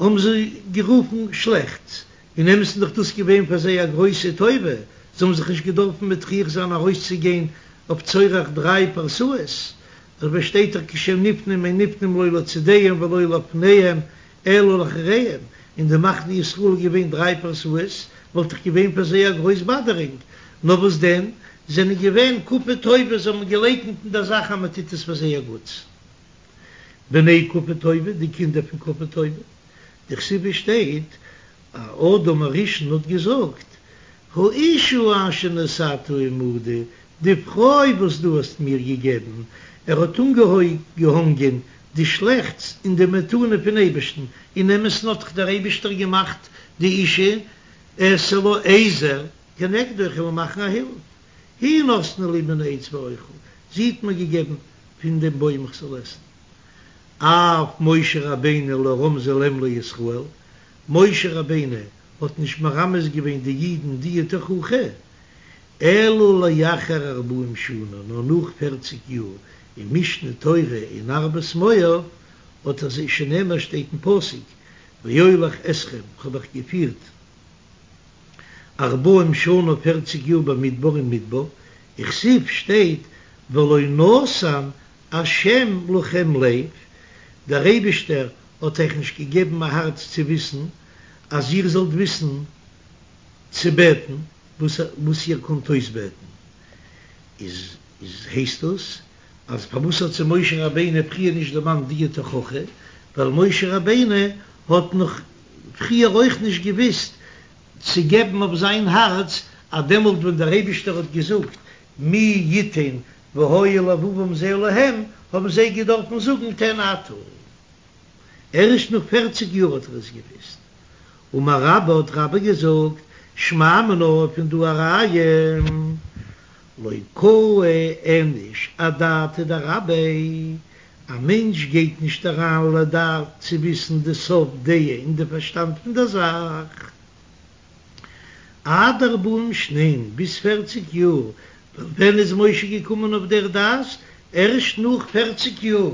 האבן זיי גערופן שלעכטס, אין אמת'ן איז דאך דאס געווען פאר זיי א גרויסע טובה, זיי האבן זיך נישט געדארפן מטריח זיין ארויסצוגיין אויף צורך דריי פרסאות, דעריבער שטייט דאך כשהם נפנים אין נפנים לא לצדיהם ולא לפניהם אלא לאחריהם, אין די מחנה ישראל איז געווען דריי פרסאות, וואלט דאך געווען פאר זיי א גרויס באדערונג, נאר וואס דען, זענען געווען כפוי טובה, זיי האבן געלייקנט אין דער זאך אז מען טוט עס פאר זייער גוטס. בני כפוי טובה, די קינדער פון כפוי טובה, דכתיב שטייט, אדם הראשון האט געזאגט, האשה אשר נתתה עמדי, די פרוי וואס דו האסט מיר געגעבן, ער האט אנגעהאנגען די שלעכטס אין די מתנה פון אייבערשטן, אין אמת'ן האט דאך דער אייבערשטער געמאכט די אשה אעשה לה עזר כנגדו, איך וועל מאכן א הילף, היא נתנה לי מן העץ ואוכל, זי האט מיר געגעבן פון דעם בוים איך זאל עסן. אף משה רבינו לא רמזה להם לישראל, משה רבינו האט נישט מרמז געווען די אידן די תוכחה, אלא לאחר ארבעים שנה, נאר נאך פערציג יאר, אין משנה תורה אין ערבות מואב האט ער זיי שנאמר שטייט אין פסוק ואוליך אתכם, כ'האב אייך געפירט ארבעים שנה פערציג יאר במדבר אין מדבר, וכתיב שטייט ולא נתן השם לכם לב, דער אייבישטער האט אייך נישט געגעבן א הארץ צו וויסן, אז איר זאלט וויסן צו בעטן וואס איר קאנט אויסבעטן, איז איז הייסט דאס אז פארוואס האט זיי משה רבינו פריער נישט דערמאנט די תוכחה, ווייל משה רבינו האט נאך פריער אויך נישט געוויסט צו געבן אויף זיין הארץ אז דעמאלט ווען דער אייבישטער האט געזאגט מי יתן והיה לבבם זה להם האבן זיי געדארפן זאגן תן אתה. ערשט נאך פערציג יאר האט ער עס געוויסט. אמר רבה האט רבה געזאגט, שמע מינה פון דא א ראיה, לא קאי איניש אדעתיה דרביה, א מענטש גייט נישט אריין לדעת צו וויסן די סוף דעה און די פארשטאנד פון דער זאך, עד ארבעים שנין, ביז פערציג יאר, ווייל ווען איז משה געקומען אויף דער דעת? ערשט נאך פערציג יאר.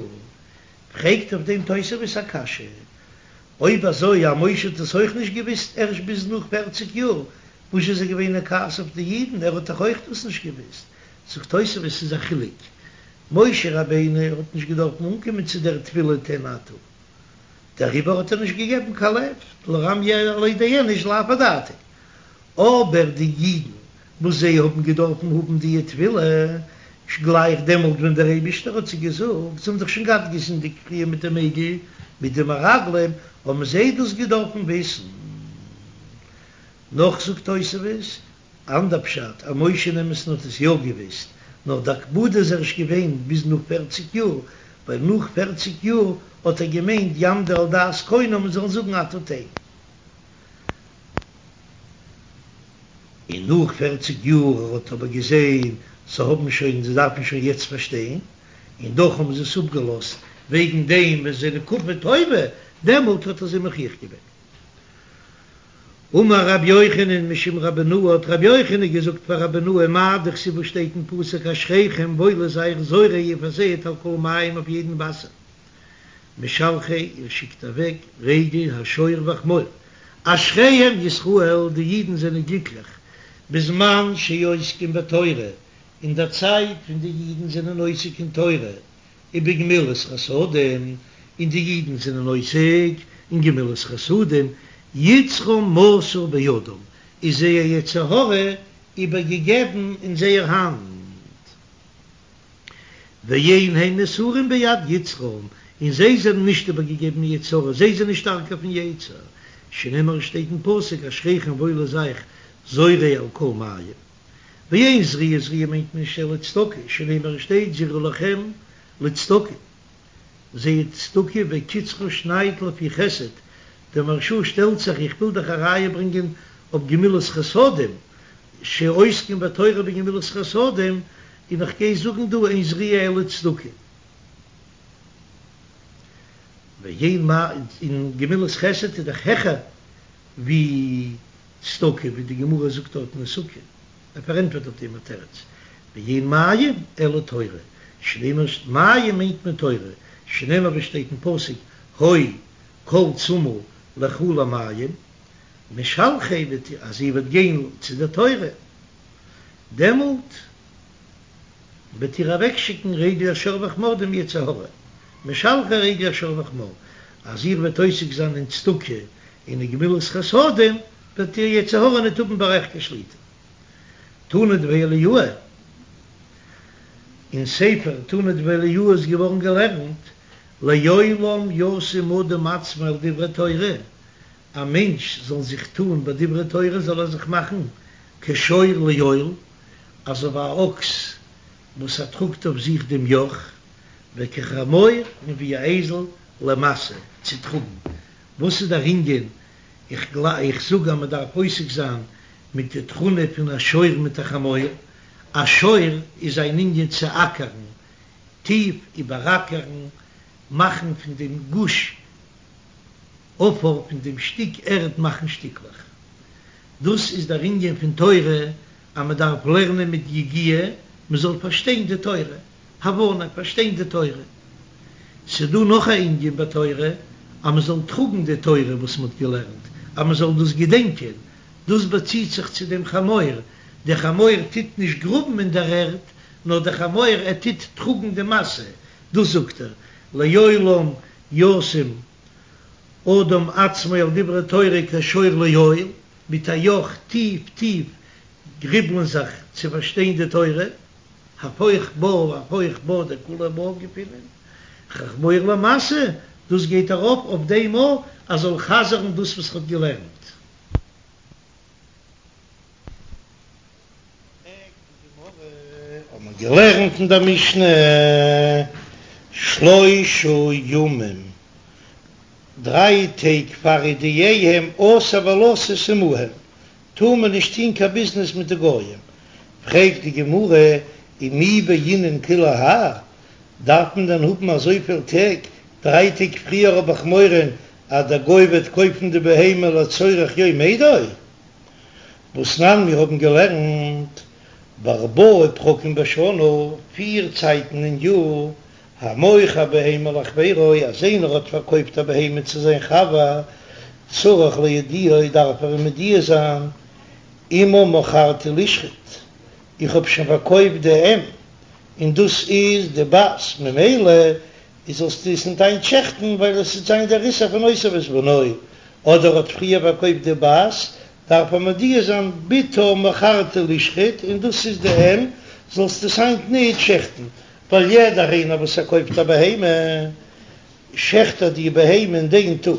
פרעגט אויף דעם תוספות א קשיא, אויב אזוי אז משה האט עס אויך נישט געוויסט ערשט ביז נאך פערציג יאר, וואס איז ער געווען אין כעס אויף די אידן, ער האט דאך אויך דאס נישט געוויסט? זאגט תוספות ס'איז א חילוק, משה רבינו האט נישט געדארפן אנקומען צו דער תפילה תן אתה, דעריבער האט ער נישט געגעבן קיין לב, דלא רמי עליה דאיניש לאו אדעתיה, אבער די אידן וואס זיי האבן געדארפן האבן די תפילה גלייך דעמאלט ווען דער אייבישטער האט זיי געזאגט, זיי האבן דאך שוין געהאט געזינדיגט פריער מיט דעם עגל, מיט די מרגלים, האבן זיי דאס געדארפן וויסן. נאך זאגט תוספות, אנדער פשט, אז משה אין אמת'ן האט עס יא געוויסט, נאר די הקפדה איז ערשט געווען ביז נאך פערציג יאר, ווייל נאך פערציג יאר האט ער געמיינט יעמדו על דעת קונם און זאלן זאגן אתה תן. און נאך פערציג יאר ער האט אבער געזען זיי האבן שוין זיי דארפן שוין יעצט פארשטיין, און דאך האבן זיי עס אפגעלאזט וועגן דעם ווען זיי זענען כפוי טובה, דעמאלט האט ער זיי מוכיח געווען. אמר רבי יוחנן משום רבי בנאה האט רבי יוחנן געזאגט פאר רבי בנאה מאי דכתיב וואס שטייט אין פסוק אשריכם וואויל איז אייך זורעי איר פארזייעט על כל מים אויף יעדן וואסער משלחי איר שיקט אוועק רגל השור והחמור אשריהם ישראל די אידן זענען גליקליך בזמן שעוסקים בתורה אין דער צייט ווען די אידן זענען עוסק אין תורה ובגמילות חסדים, און די אידן זענען עוסק אין גמילות חסדים, יצרם מסור בידם, איז זייער יצר הרע איבערגעגעבן אין זייער האנט, ואין הם מסורים ביד יצרם, און זיי זענען נישט איבערגעגעבן אין יצר הרע, זיי זענען שטארקער פון יצר, שנאמר שטייט אין פסוק אשריכם וואויל איז אייך זורעי על כל מים. ואין זריעה זריעה מיינט מען נישט אלא צדקה, שנאמר שטייט זרעו לכם לצדקה, זייט צדקה וקצרו שנייד לפי חסד, דער מהרש"א שטעלט זיך איך וויל דאך א ראיה ברענגען אויף גמילות חסדים, שעוסקים בתורה ובגמילות חסדים, און איך גיי זאגן דא אין זריעה אלא צדקה. ואין מה, און גמילות חסד איז דאך העכער ווי צדקה, ווי די גמרא זאגט דארט אין סוכה, ער פארענטפערט אויף דעם א תירוץ, ואין מים אלא תורה, שנאמר מים מיינט מען תורה, שנאמר ווי שטייט אין פסוק הוי כל צמא לכו למים, משלחי וועט אז איר וועט גיין צו דער תורה, דעמאלט וועט איר אוועקשיקן רגל השור והחמור דעם יצר הרע, משלחי רגל השור והחמור, אז איר וועט עוסק זיין אין צדקה און אין גמילות חסדים, וועט דער יצר הרע ניט האבן ביי אייך קיין שליטה. תנא דבי אליהו, אין ספר תנא דבי אליהו איז געווארן געלערנט, לעולם ישים אדם עצמו על דברי תורה, א מענטש זאל זיך טאן ביי דברי תורה זאל ער זיך מאכן כשור לעול, אזוי ווי א אקס וואס ער טראגט אויף זיך דעם יאך, וכחמור און ווי א אייזל למשא צו טראגן. וואס איז דער ענין? איך איך זאג אז מען דארף עוסק זיין מיט די תכונה פון א שור מיט א חמור. א שור איז זיין ענין צו אקערן, טיף איבעראקערן, מאכן פון דעם גוש עפר, פון דעם שטיק ערד מאכן שטיקלעך. דאס איז דער ענין פון תורה, אז מען דארף לערנען מיט יגיעה, מען זאל פארשטיין די תורה, הבנה, פארשטיין די תורה. ס'דא נאך א ענין בתורה, אז מען זאל טראגן די תורה וואס מען האט געלערנט, אז מען זאל דאס געדענקען, דאס באציט זיך צו דעם חמור, דער חמור טוט נישט גראבן אין דער ערד, נאר דער חמור ער טוט טראגן די משא, דאס זאגט ער, לעולם ישים אדם עצמו על דברי תורה כשור לעול, מיט א יאך טיף טיף גריבלען זיך צו פארשטיין די תורה, הפוך בה והפוך בה דכולהו בה געפינען, חמור למשא, דאס גייט ארויף אויף דעם אז זאל חזר'ן דאס וואס ער האט געלערנט. פרעגט די גמרא, האט מען געלערנט אין דער משנה, שלושה ימים, דריי טעג פאר הודיעם אסור ולתת עמהם, טאר מען נישט טון קיין ביזנעס מיט די גויים. פרעגט די גמרא, ומי בעינן כולי האי, דארף מען דען האבן אזויפיל טעג, דריי טעג פריער האב איך מורא אז דער גוי וועט קויפן די בהמה לצורך יום אידו? והתנן מיר האבן געלערנט בארבעה פרקים בשנה, פיר צייטן אין יאר, המוכר בהמה לחבירו, אז איינער האט פארקויפט א בהמה צו זיין חבר, צריך להודיעו, דארף ער אים מודיע זיין, אמה מכרתי לשחוט, איך האב שוין פארקויפט די אם, און דאס איז די בת, ממילא איז זאלסטו עס ניט היינט שעכטן, ווייל עס וועט זיין דער איסור פון אותו ואת בנו, אדער האט פריער פארקויפט די בת, דארף ער מודיע זיין בתה מכרתי לשחוט, און דאס איז די אם, זאלסטו עס היינט ניט שעכטן, ווייל יעדער איינער וואס ער קויפט א בהמה, שעכט ער די בהמה אין דעם טאג,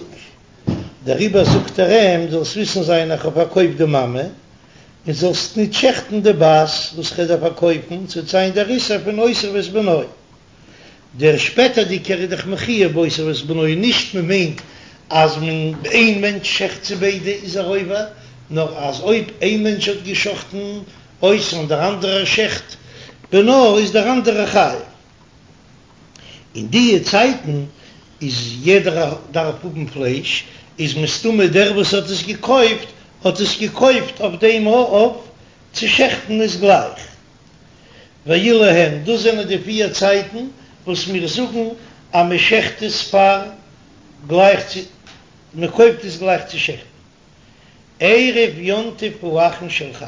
דעריבער זאגט ער אים, זאלסט וויסן זיין איך האב פארקויפט די מאמע, און זאלסט ניט שעכטן די בת וואס כ'וועל דיר פארקויפן, ס'וועט זיין דער איסור פון אותו ואת בנו. דער שפעטערדיגער איז דאך מחויב באותו ואת בנו, נישט מען מיינט אז מען איין מענטש שעכט צו ביידע איז ער עובר, נאר אז אויב איין מענטש האט געשאכטן אותו און דער אנדערער שעכט בנו איז דער אנדערער חייב. אין דיע צייטן איז יעדער דארף האבן פלייש, איז מסתמא דער וואס האט עס געקויפט האט עס געקויפט אויף דעם אויף צו שעכטן עס גלייך. ואלו הן, דאס זענען די פיר צייטן וואס מיר זאגן אז מען שעכט עס פאר גלייך צו, מען קויפט עס גלייך צו שעכטן. ערב יום טוב האחרון של חג,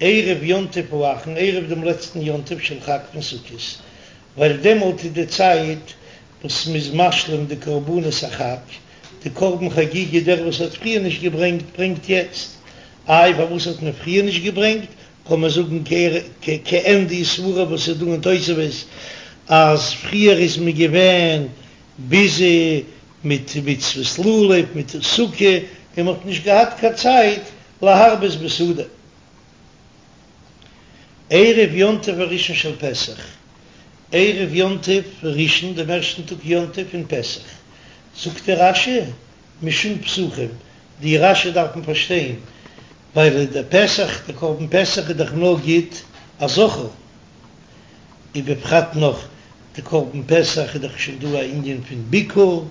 ערב יום טוב האחרון, ערב דעם לעצטן יום טוב של חג פון סוכות, ווייל דעמאלט איז די צייט וואס מען איז משלים די קרבנות החג, די קרבן חגיגה, דער וואס האט פריער נישט געברענגט ברענגט יעצט, איי פארוואס האט מען פריער נישט געברענגט, קען מען זאגן כעין די סברה וואס איז דא אין תוספות אז פריער איז מען געווען ביזי מיט מצוות לולב מיט סוכה און מען האט נישט געהאט קיין צייט להרבות בסעודה. ערב יום טוב הראשון של פסח, ערב יום טוב ראשון דעם ערשטן טאג יום טוב פון פסח, זאגט דער רש"י משום פסחים, די רש"י דארף מען פארשטיין ווייל דער פסח, דער קרבן פסח איז דאך נאר גוט א זכר, ובפרט נאך די קרבן פסח איז דאך שוין דא א ענין פון ביקור,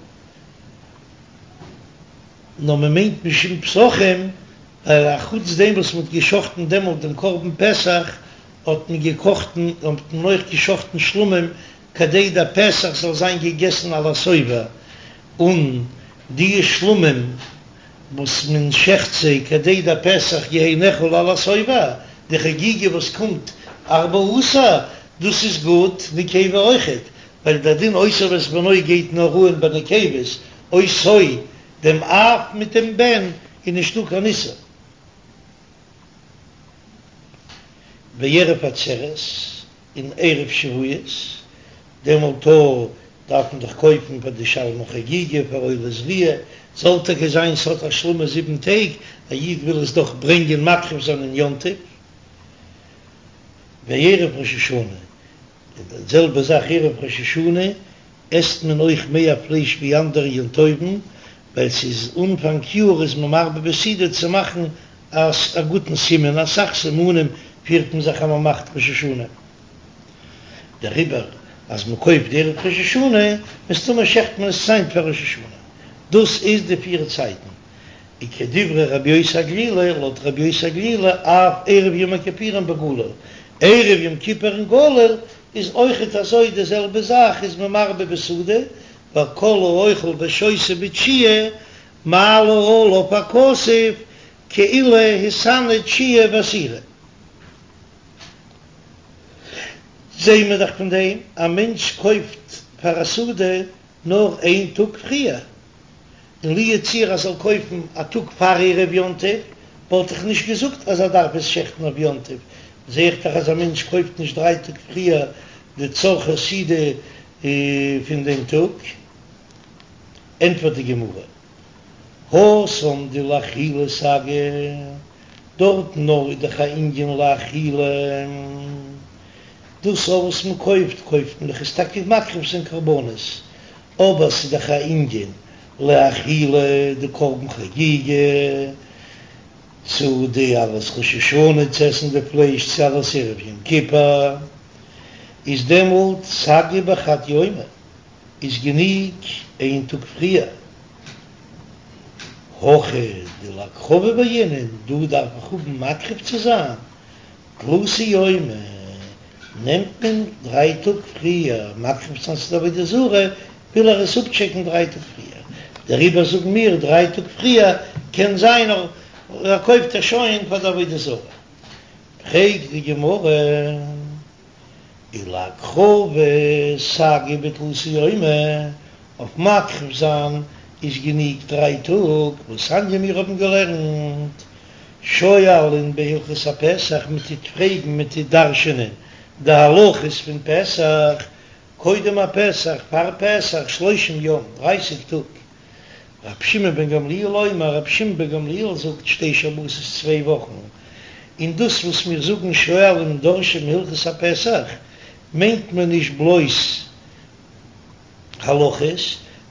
נאר מען מיינט משום פסחים, ווייל א חוץ דעם וואס מען האט געשחטן דעמאלט דעם קרבן פסח, האט מען געקאכט און האט מען אויך געשחטן שלמים כדי דער פסח זאל זיין געגעסן על השובע, און די שלמים וואס מען שעכט זיי כדי דער פסח יהא נאכל על השובע, די חגיגה וואס קומט ארבעה עשר, דאס איז גוט נקבה אויכעט, ווייל דער דין אותו ואת בנו גייט נאר אן ביי נקבות, אותו דעם אב מיט דעם בן איז נישטא קיין איסור. בערב עצרת און ערב שבועות, דעמאלט דארף מען דאך קויפן פאר די שלמי חגיגה פאר עולת ראיה, זאל טאקע זיין ס'האט השלמה זיבן טעג, א איד וויל עס דאך ברענגען מקריב זיין אין יום טוב, וערב ראש השנה, און די זעלבע זאך ערב ראש השנה עסט מען אויך מער פלייש ווי אנדערע יום טובים, ווייל ס'איז אנפאנג יאר איז מען מרבה בסעודה צו מאכן א גוטן סימן, אסאך סימנים פירט מען זיך אז מען מאכט ראש השנה. דעריבער אז מען קויפט ערב ראש השנה, מסתמא שעכט מען עס היינט פאר ראש השנה. דאס איז די פיר צייטן. וכדברי רבי יוסי הגלילי, לויט רבי יוסי הגלילי אף ערב יום הכיפורים בגליל, ערב יום כיפור אין גליל איז אויכעט אזוי די זעלבע זאך איז מען מרבה בסעודה, ווייל כל האוכל ושותה בתשיעי מעלה עליו הכתוב כאילו התענה תשיעי ועשירי. זעהן מיר דאך פון דעם, א מענטש קויפט פאר א סעודה נאר איין טאג פריער, און לו יצוייר אז ער זאל קויפן א טאג פאר ערב יום טוב, וואלט איך נישט געזאגט אז ער דארף עס שעכטן אויף יום טוב, זעה איך דאך אז א מענטש קויפט נישט דריי טאג פריער די צרכי סעודה פון דעם טאג. ענטפערט די גמרא, התם דלאכילה סגי, דארטן נאר איז דאך א ענין לאכילה, דאס וואס מען קויפט, קויפט מען דאך עס טאקע מקריב זיין קרבנות, אבער ס'איז דאך א ענין לאכילה, די קרבן חגיגה, צו די אלעס ראש השנה צו עסן די פלייש צו אלעס ערב יום כיפור, איז דעמאלט סגי בחד יומא, איז גענוג איין טאג פריער. הכא דלהקרבה בעינן, דא דארף איך האבן מקריב צו זיין, תלתא יומי, נעמט מען דריי טאג פריער מקריב צו זיין צו די עבודה זרה, וויל ער עס אפטשעקן דריי טאג פריער, דעריבער זאגן מיר דריי טאג פריער, קען זיין ער קויפט עס שוין פאר די עבודה זרה. פרעגט די גמרא, ולהקרבה סגי בתלתא יומי, אויף מקריב זיין איז גענוג דריי טאג, והתניא מיר האבן געלערנט שואלין בהלכות הפסח, מען טוט פרעגן, מען טוט דרש'ענען די הלכות פון פסח, קודם הפסח, פאר פסח, שלושים יום, דרייסיג טאג. רבי שמעון בן גמליאל אומר, רבי שמעון בן גמליאל זאגט שתי שבתות צוויי וואכן, און דאס וואס מיר זאגן שואלין דורשין הלכות הפסח, מיינט מען נישט בלויז הלכות,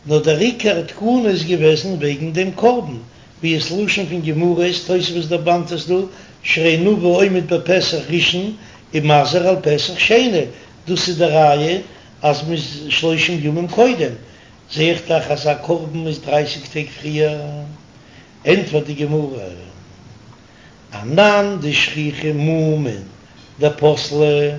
נאר דער עיקר תקנה איז געוועזן וועגן דעם קרבן, ווי עס לשון פון גמרא איז, תוספות דערמאנט עס דא, שהרי נביא עומד בפסח ראשון ומזהיר על פסח שני, דאס איז די ראיה אז מ'איז שלושים ימים קודם, זעה איך דאך אז א קרבן איז דרייסיג טעג פריער, ענטפערט די גמרא, אנן דשכיחי מומין דפסלי,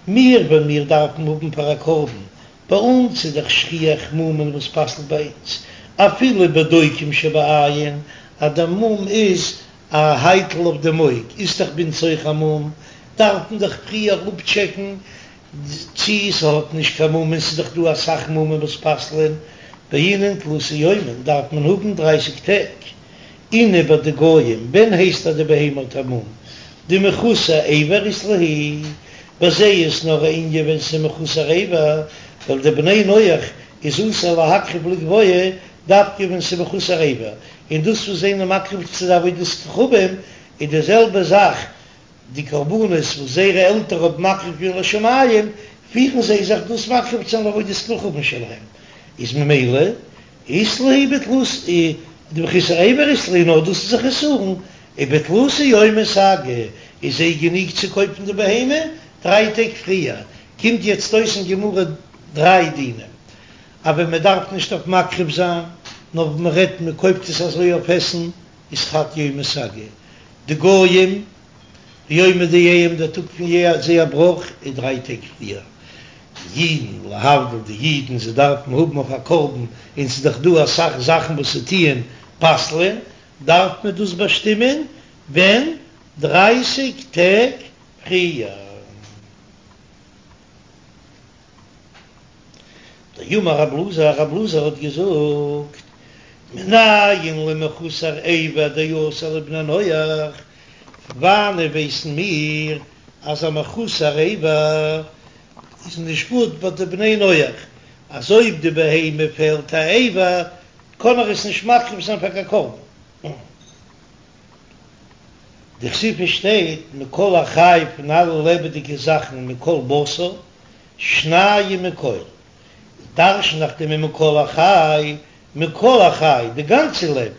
מיר ווען מיר דארפן האבן פאר א קרבן ביי אונז איז דאך שכיח מומין וואס פסל'ט ביי אונז אפילו בדוקים שבעין, אז דער מום איז א הייטל אויף דעם אויג איז דאך ביי אונז אויך א מום, דארף מען דאך פריער אפטשעקן צי ס'האט נישט קיין מום און ס'איז דאך דא אסאך מומין וואס פסל'ען, בעינן תלתא יומין דארף מען האבן דרייסיג טעג. אינהו ביי די גויים, ווען הייסט אז די בהמה האט א מום? דמחוסר אבר אית להו, ביי זיי איז נאר א ענין ווען ס'איז מחוסר אבר, ווייל די בני נח איז אסור להקריב לגבוה דווקא ווען ס'איז מחוסר אבר, און דאס וואס זענען מקריב צו די עבודת כוכבים איז די זעלבע זאך די קרבנות וואס זייערע עלטערן האבן מקריב געווען לשמים, פירן זיי זיך דאס מקריב צו זיין לעבודת כוכבים שלהם, איז ממילא אית להו בתלתא דמחוסר אבר אית להו נאר דאס איז א חסרון, ובתלתא יומי סגי איז זיי גענוג צו קויפן די בהמה דריי טעג פריער, קומט יעצט אויס אין גמרא דריי דינים, אז ווען מען דארף נישט אויף מקריב זיין, נאר ווען מען רעדט מען קויפט עס אזוי אויף עסן, איז חד יומא סגי, די גויים יומא דיהם דער טאג פון זייער בראך איז דריי טעג פריער, די אידן, להבדיל די אידן, זיי דארפן האבן אויף א קרבן, און ס'איז דאך דא אסאך זאכן וואס ס'טוען פסל'ען, דארף מען דאס באשטימען ווען? דרייסיג טעג פריער. דאמר רב אלעזר, רב אלעזר האט געזאגט, מנין למחוסר אבר דאסור לבני נח, וואנען ווייסן מיר אז א מחוסר אבר איז נישט גוט ביי די בני נח, אז אויב די בהמה פעלט א אבר קען ער עס נישט מקריב זיין פאר קיין קרבן. דכתיב שטייט מכל החי פון אלע לעבעדיגע זאכן מכל בשר שניים מכל, דרשן איך דעם מכל החי, מכל החי, די גאנצע לעבן.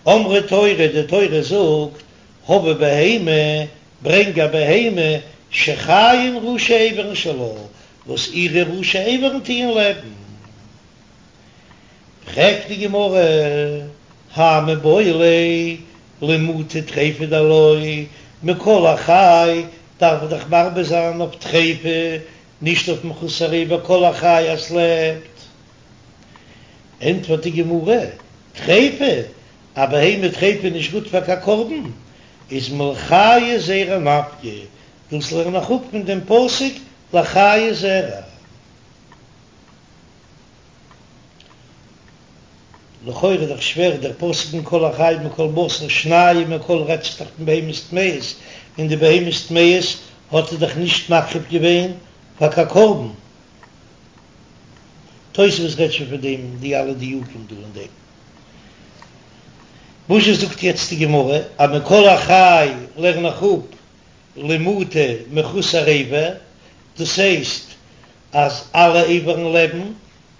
אמרה תורה, די תורה זאגט, הבא בהמה, ברענג א בהמה, שחיים ראשי איברים שלה, וואס אירע ראשי איברים טוען לעבן. פרעגט די גמרא, האי מיבעי ליה למעוטי טריפה דלא, מכל החי דארף איך דאך מרבה זיין אויף טריפה, נישט אויף מחוסר אבר כל החי אז ס'לעבט. ענטפערט די גמרא, טריפה, א בהמה טריפה איז נישט גוט פאר קיין קרבן, איז מלחיי זרע נפקא, דאס לערן איך אפ פון דעם פסוק לחיי זרע. לכאורה איז דאך שווער דער פסוק מכל החי מכל בשר שנים מכל רעדט זיך דאך פון בהמות טמאות, און די בהמות טמאות האט ער דאך נישט מקריב געווען פאר קיין קרבן. תוספות רעדט שוין פון דעם די אלע דיוקים דא אין דעם. וואזשע זאגט יעצט די גמרא אז מכל החי לערן איך אפ למעוטי מחוסר אבר, דאס הייסט אז אלע איברים לעבן,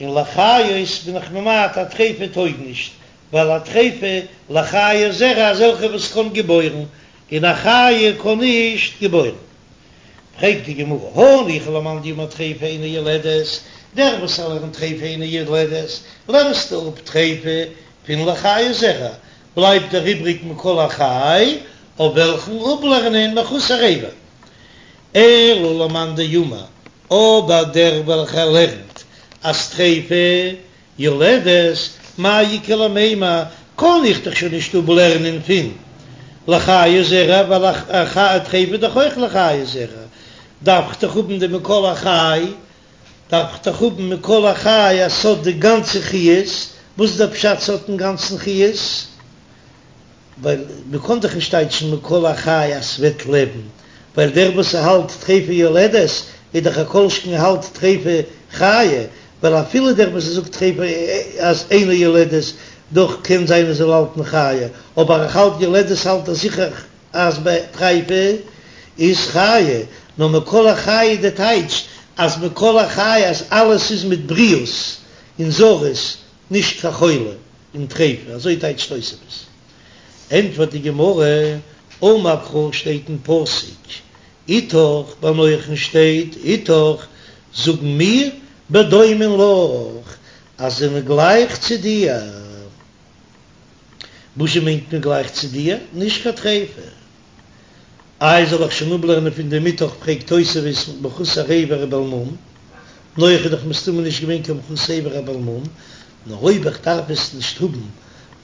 און לחיות בין איך ממעט א טריפה טויג נישט, ווייל א טריפה לחיי זרע אזעלכע וואס קען געבוירן, און א חיה קען נישט געבוירן. פרעגט די גמרא, הניחא למאן דאמר טריפה אינה יולדת, דער וואס ער לערנט טריפה אינה יולדת, לערנסטו אפ טריפה פון לחיי זרע, בלייבט דער איבריג מכל החי, אויף וועלכן אפלערנען מחוסר אבר. אלא למאן דאמר, אבער דער וועלכער לערנט אז טריפה יולדת, מאי איכא למימר, קען איך דאך שוין נישט אפלערנען פון לחיי זרע, ווייל א טריפה איז דאך אויך לחיי זרע, דארף איך דאך האבן די מכל החי, דארף איך דאך האבן מכל החי אז ס'האט די גאנצע חיות, וואס איז דער פשט ס'האט אינגאנצן חיות? ווייל מ'קען דאך נישט טייטשן מכל החי אז ס'וועט לעבן, ווייל דער וואס ס'האלט טריפה יולדת איז דאך א כל שכן האלט טריפה חיה, ווייל אפילו דער וואס זאגט טריפה אז אינה יולדת, דאך קען זיין ער זאל האלטן חיה, אבער איך האלט יולדת האלט ער זיכער אז ביי טריפה איז חיה, נאר מכל החי איז די טייטש אז מכל החי אז אלעס איז מיט בריאות און זרות, נישט קיין חולה און טריפה, אזוי טייטשט תוספות. ענטפערט די גמרא, אמר קרא שטייט אין פסוק איתך, ביי נח'ן שטייט איתך, זאגן מיר בדומין לך אז זענען גלייך צו דיר. וואזשע מיינט מען גלייך צו דיר? נישט קיין טריפה. איי זאל איך שוין אפלערנען פון דעם איתך פרעגט תוספות מחוסר אבר ובעל מום, נח איז דאך מסתמא נישט געווען קיין מחוסר אבר ובעל מום, נאר אויב איך דארף עס נישט האבן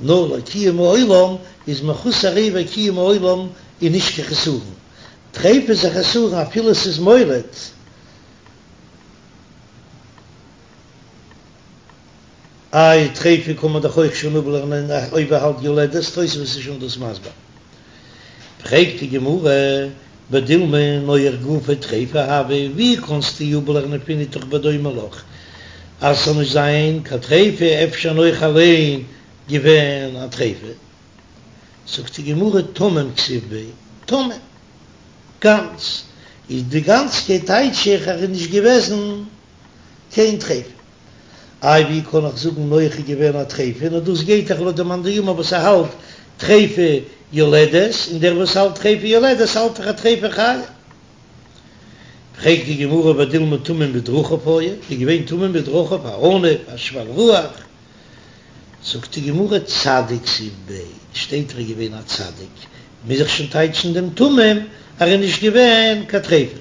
נאר לקיום העולם, איז מחוסר אבר קיום העולם איז נישט קיין חסרון, טריפה איז א חסרון אפילו עס איז מוליד. איי טריפה קען מען דאך אויך שוין אפלערנען אויב ער האלט יולדת, תוספות איז שוין דאס מסביר. פרעגט די גמרא, ודילמא נח גופיה טריפה הוה, ווי קענסטו אפלערנען פון איתך בדומה לך אז ס'זאל נישט זיין קיין טריפה, אפשר נח אליין געווען א טריפה? זאגט די גמרא, תמים כתיב ביה, תמים, גאנץ, איז די גאנצקייט טייטש איך ער איז נישט געוועזן קיין טריפה. איי ווי קען איך זאגן נח איז געווען א טריפה, נאר דאס גייט דאך לויט די מאן דאמר וואס ער האלט טריפה יולדת, און דער וואס האלט טריפה יולדת האלט דאך א טריפה חיה. פרעגט די גמרא ודילמא תמים בדרכיו היה, איז געווען תמים בדרכיו א עניו א שפל רוח, זאגט די גמרא צדיק כתיב ביה, שטייט ער איז געווען א צדיק, מוז איך שוין טייטשן דעם תמים אז ער איז נישט געווען קיין טריפה.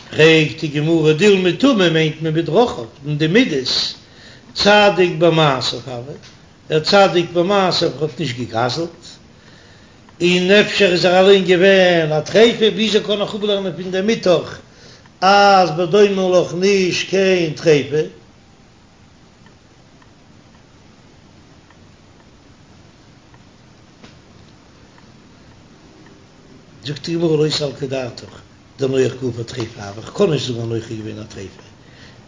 פרעגט די גמרא דילמא תמים מיינט מען בדרכיו אין די מידות, צדיק במעשיו הוה, דער צדיק במעשיו האט נישט געגזלט, און אפשר איז ער אליין געווען א טריפה, וויאזוי קען איך אפלערנען פון דעם איתך אז בדומה לך נישט קיין טריפה? זאגט די גמרא לא סלקא דעתך דנח גופיה טריפה הוה, איך קען נישט זאגן אז נח איז געווען א טריפה,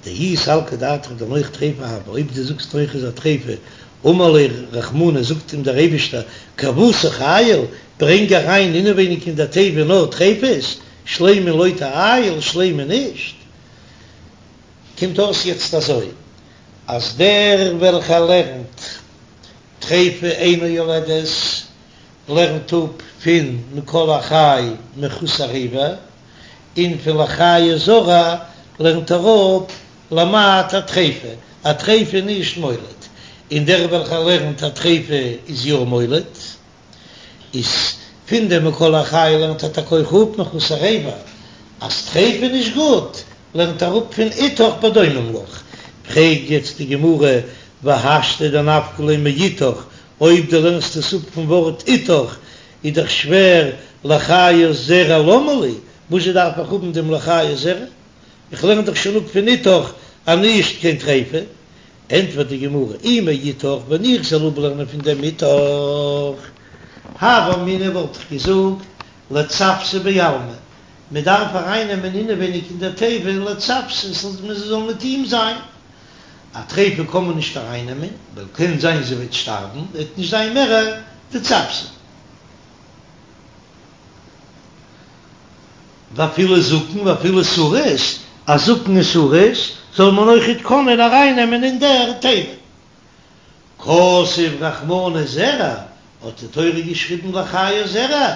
דאי סלקא דעתך דנח טריפה הוה, אויב דו זאגסט נח איז א טריפה, אמר ליה רחמנא זאגט אים דער אייבישטער כוותך עייל, ברענג אריין אינעווייניג אין דער תיבה נאר טריפות, שלימין לא תעייל, שלימה נישט. קומט אויס יעצט אזוי, אז דער וועלכער לערנט טריפה אינה יולדת, לערנט אפ פון מכל החי מחוסר אבר, און פון לחיי זרע לערנט ער אפ למעט הטריפה, א טריפה איז נישט מוליד, און דער וועלכער לערנט א טריפה איז יא מוליד, איז פון דעם מכל החי לערנט ער טאקע אויך אפ מחוסר אבר, אז טריפה איז נישט גוט, לערנט ער אפ פון איתך בדומים לך. פרעגט יעצט די גמרא, והשתא דנפקא ליה מאיתך, אויב דו לערנסט עס אפ פון ווארט איתך, איז דאך שווער לחיית זרע למה לי, וואזשע דארף איך האבן דעם לחיית זרע? איך לערן דאך שוין אפ פון איתך אז נישט קיין טריפה. ענטפערט די גמרא, אי מאיתך, ווען איך זאל אפלערנען פון דעם איתך, הוה אמינא וואלט איך געזאגט לצוותא בעלמא, מען דארף ארייננעמען אינעווייניג אין דער תיבה לצוותא, מען זאל מיט אים זיין. א טריפה קען מען נישט ארייננעמען, ווייל קען זיין זי וועט שטארבן, וועט נישט זיין מער די צוותא. ואפילו זקן ואפילו סריס, א זקן און סריס זאל מען אויכעט קענען ארייננעמען אין דער תיבה. כתב רחמנא זרע, האט די תורה געשריבן לחיית זרע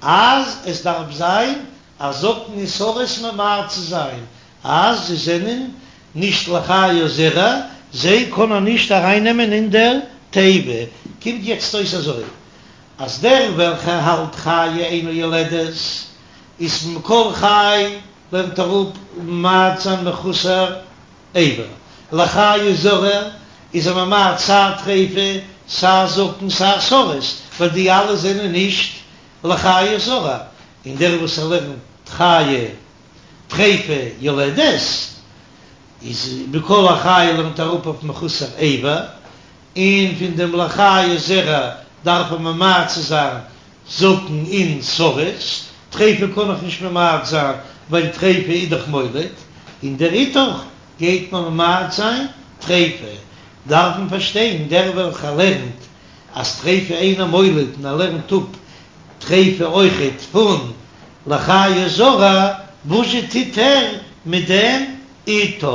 אז עס דארף זיין א זקן און סריס ממעט צו זיין אז זיי זענען נישט לחיית זרע, זיי קענען נישט ארייננעמען אין דער תיבה. קומט יעצט אויס אזוי, אז דער וועלכער האלט חיה אינה יולדת איז מכל חי לערנט ער אפ ממעט זיין מחוסר אבר, לחיית זרע איז ער ממעט סיי טריפה סיי זקן סיי סריס, ווייל די אלע זענען נישט לחיית זרע, און דער וואס ער לערנט חיה טריפה יולדת איז מכל החי לערנט ער אפ אויף מחוסר אבר, און פון דעם לחיית זרע דארף ער ממעט צו זיין זקן און סריס, טריפה קען איך נישט ממעט זיין ווייל טריפה איז דאך מוליד, און דער איתך גייט מען ממעט זיין טריפה, דארף מען פארשטיין דער וועלכער לערנט אז טריפה אינה מוליד און ער לערנט אפ טריפה אויכעט פון לחיית זרע, וואזשע טוט ער מיט דעם איתך?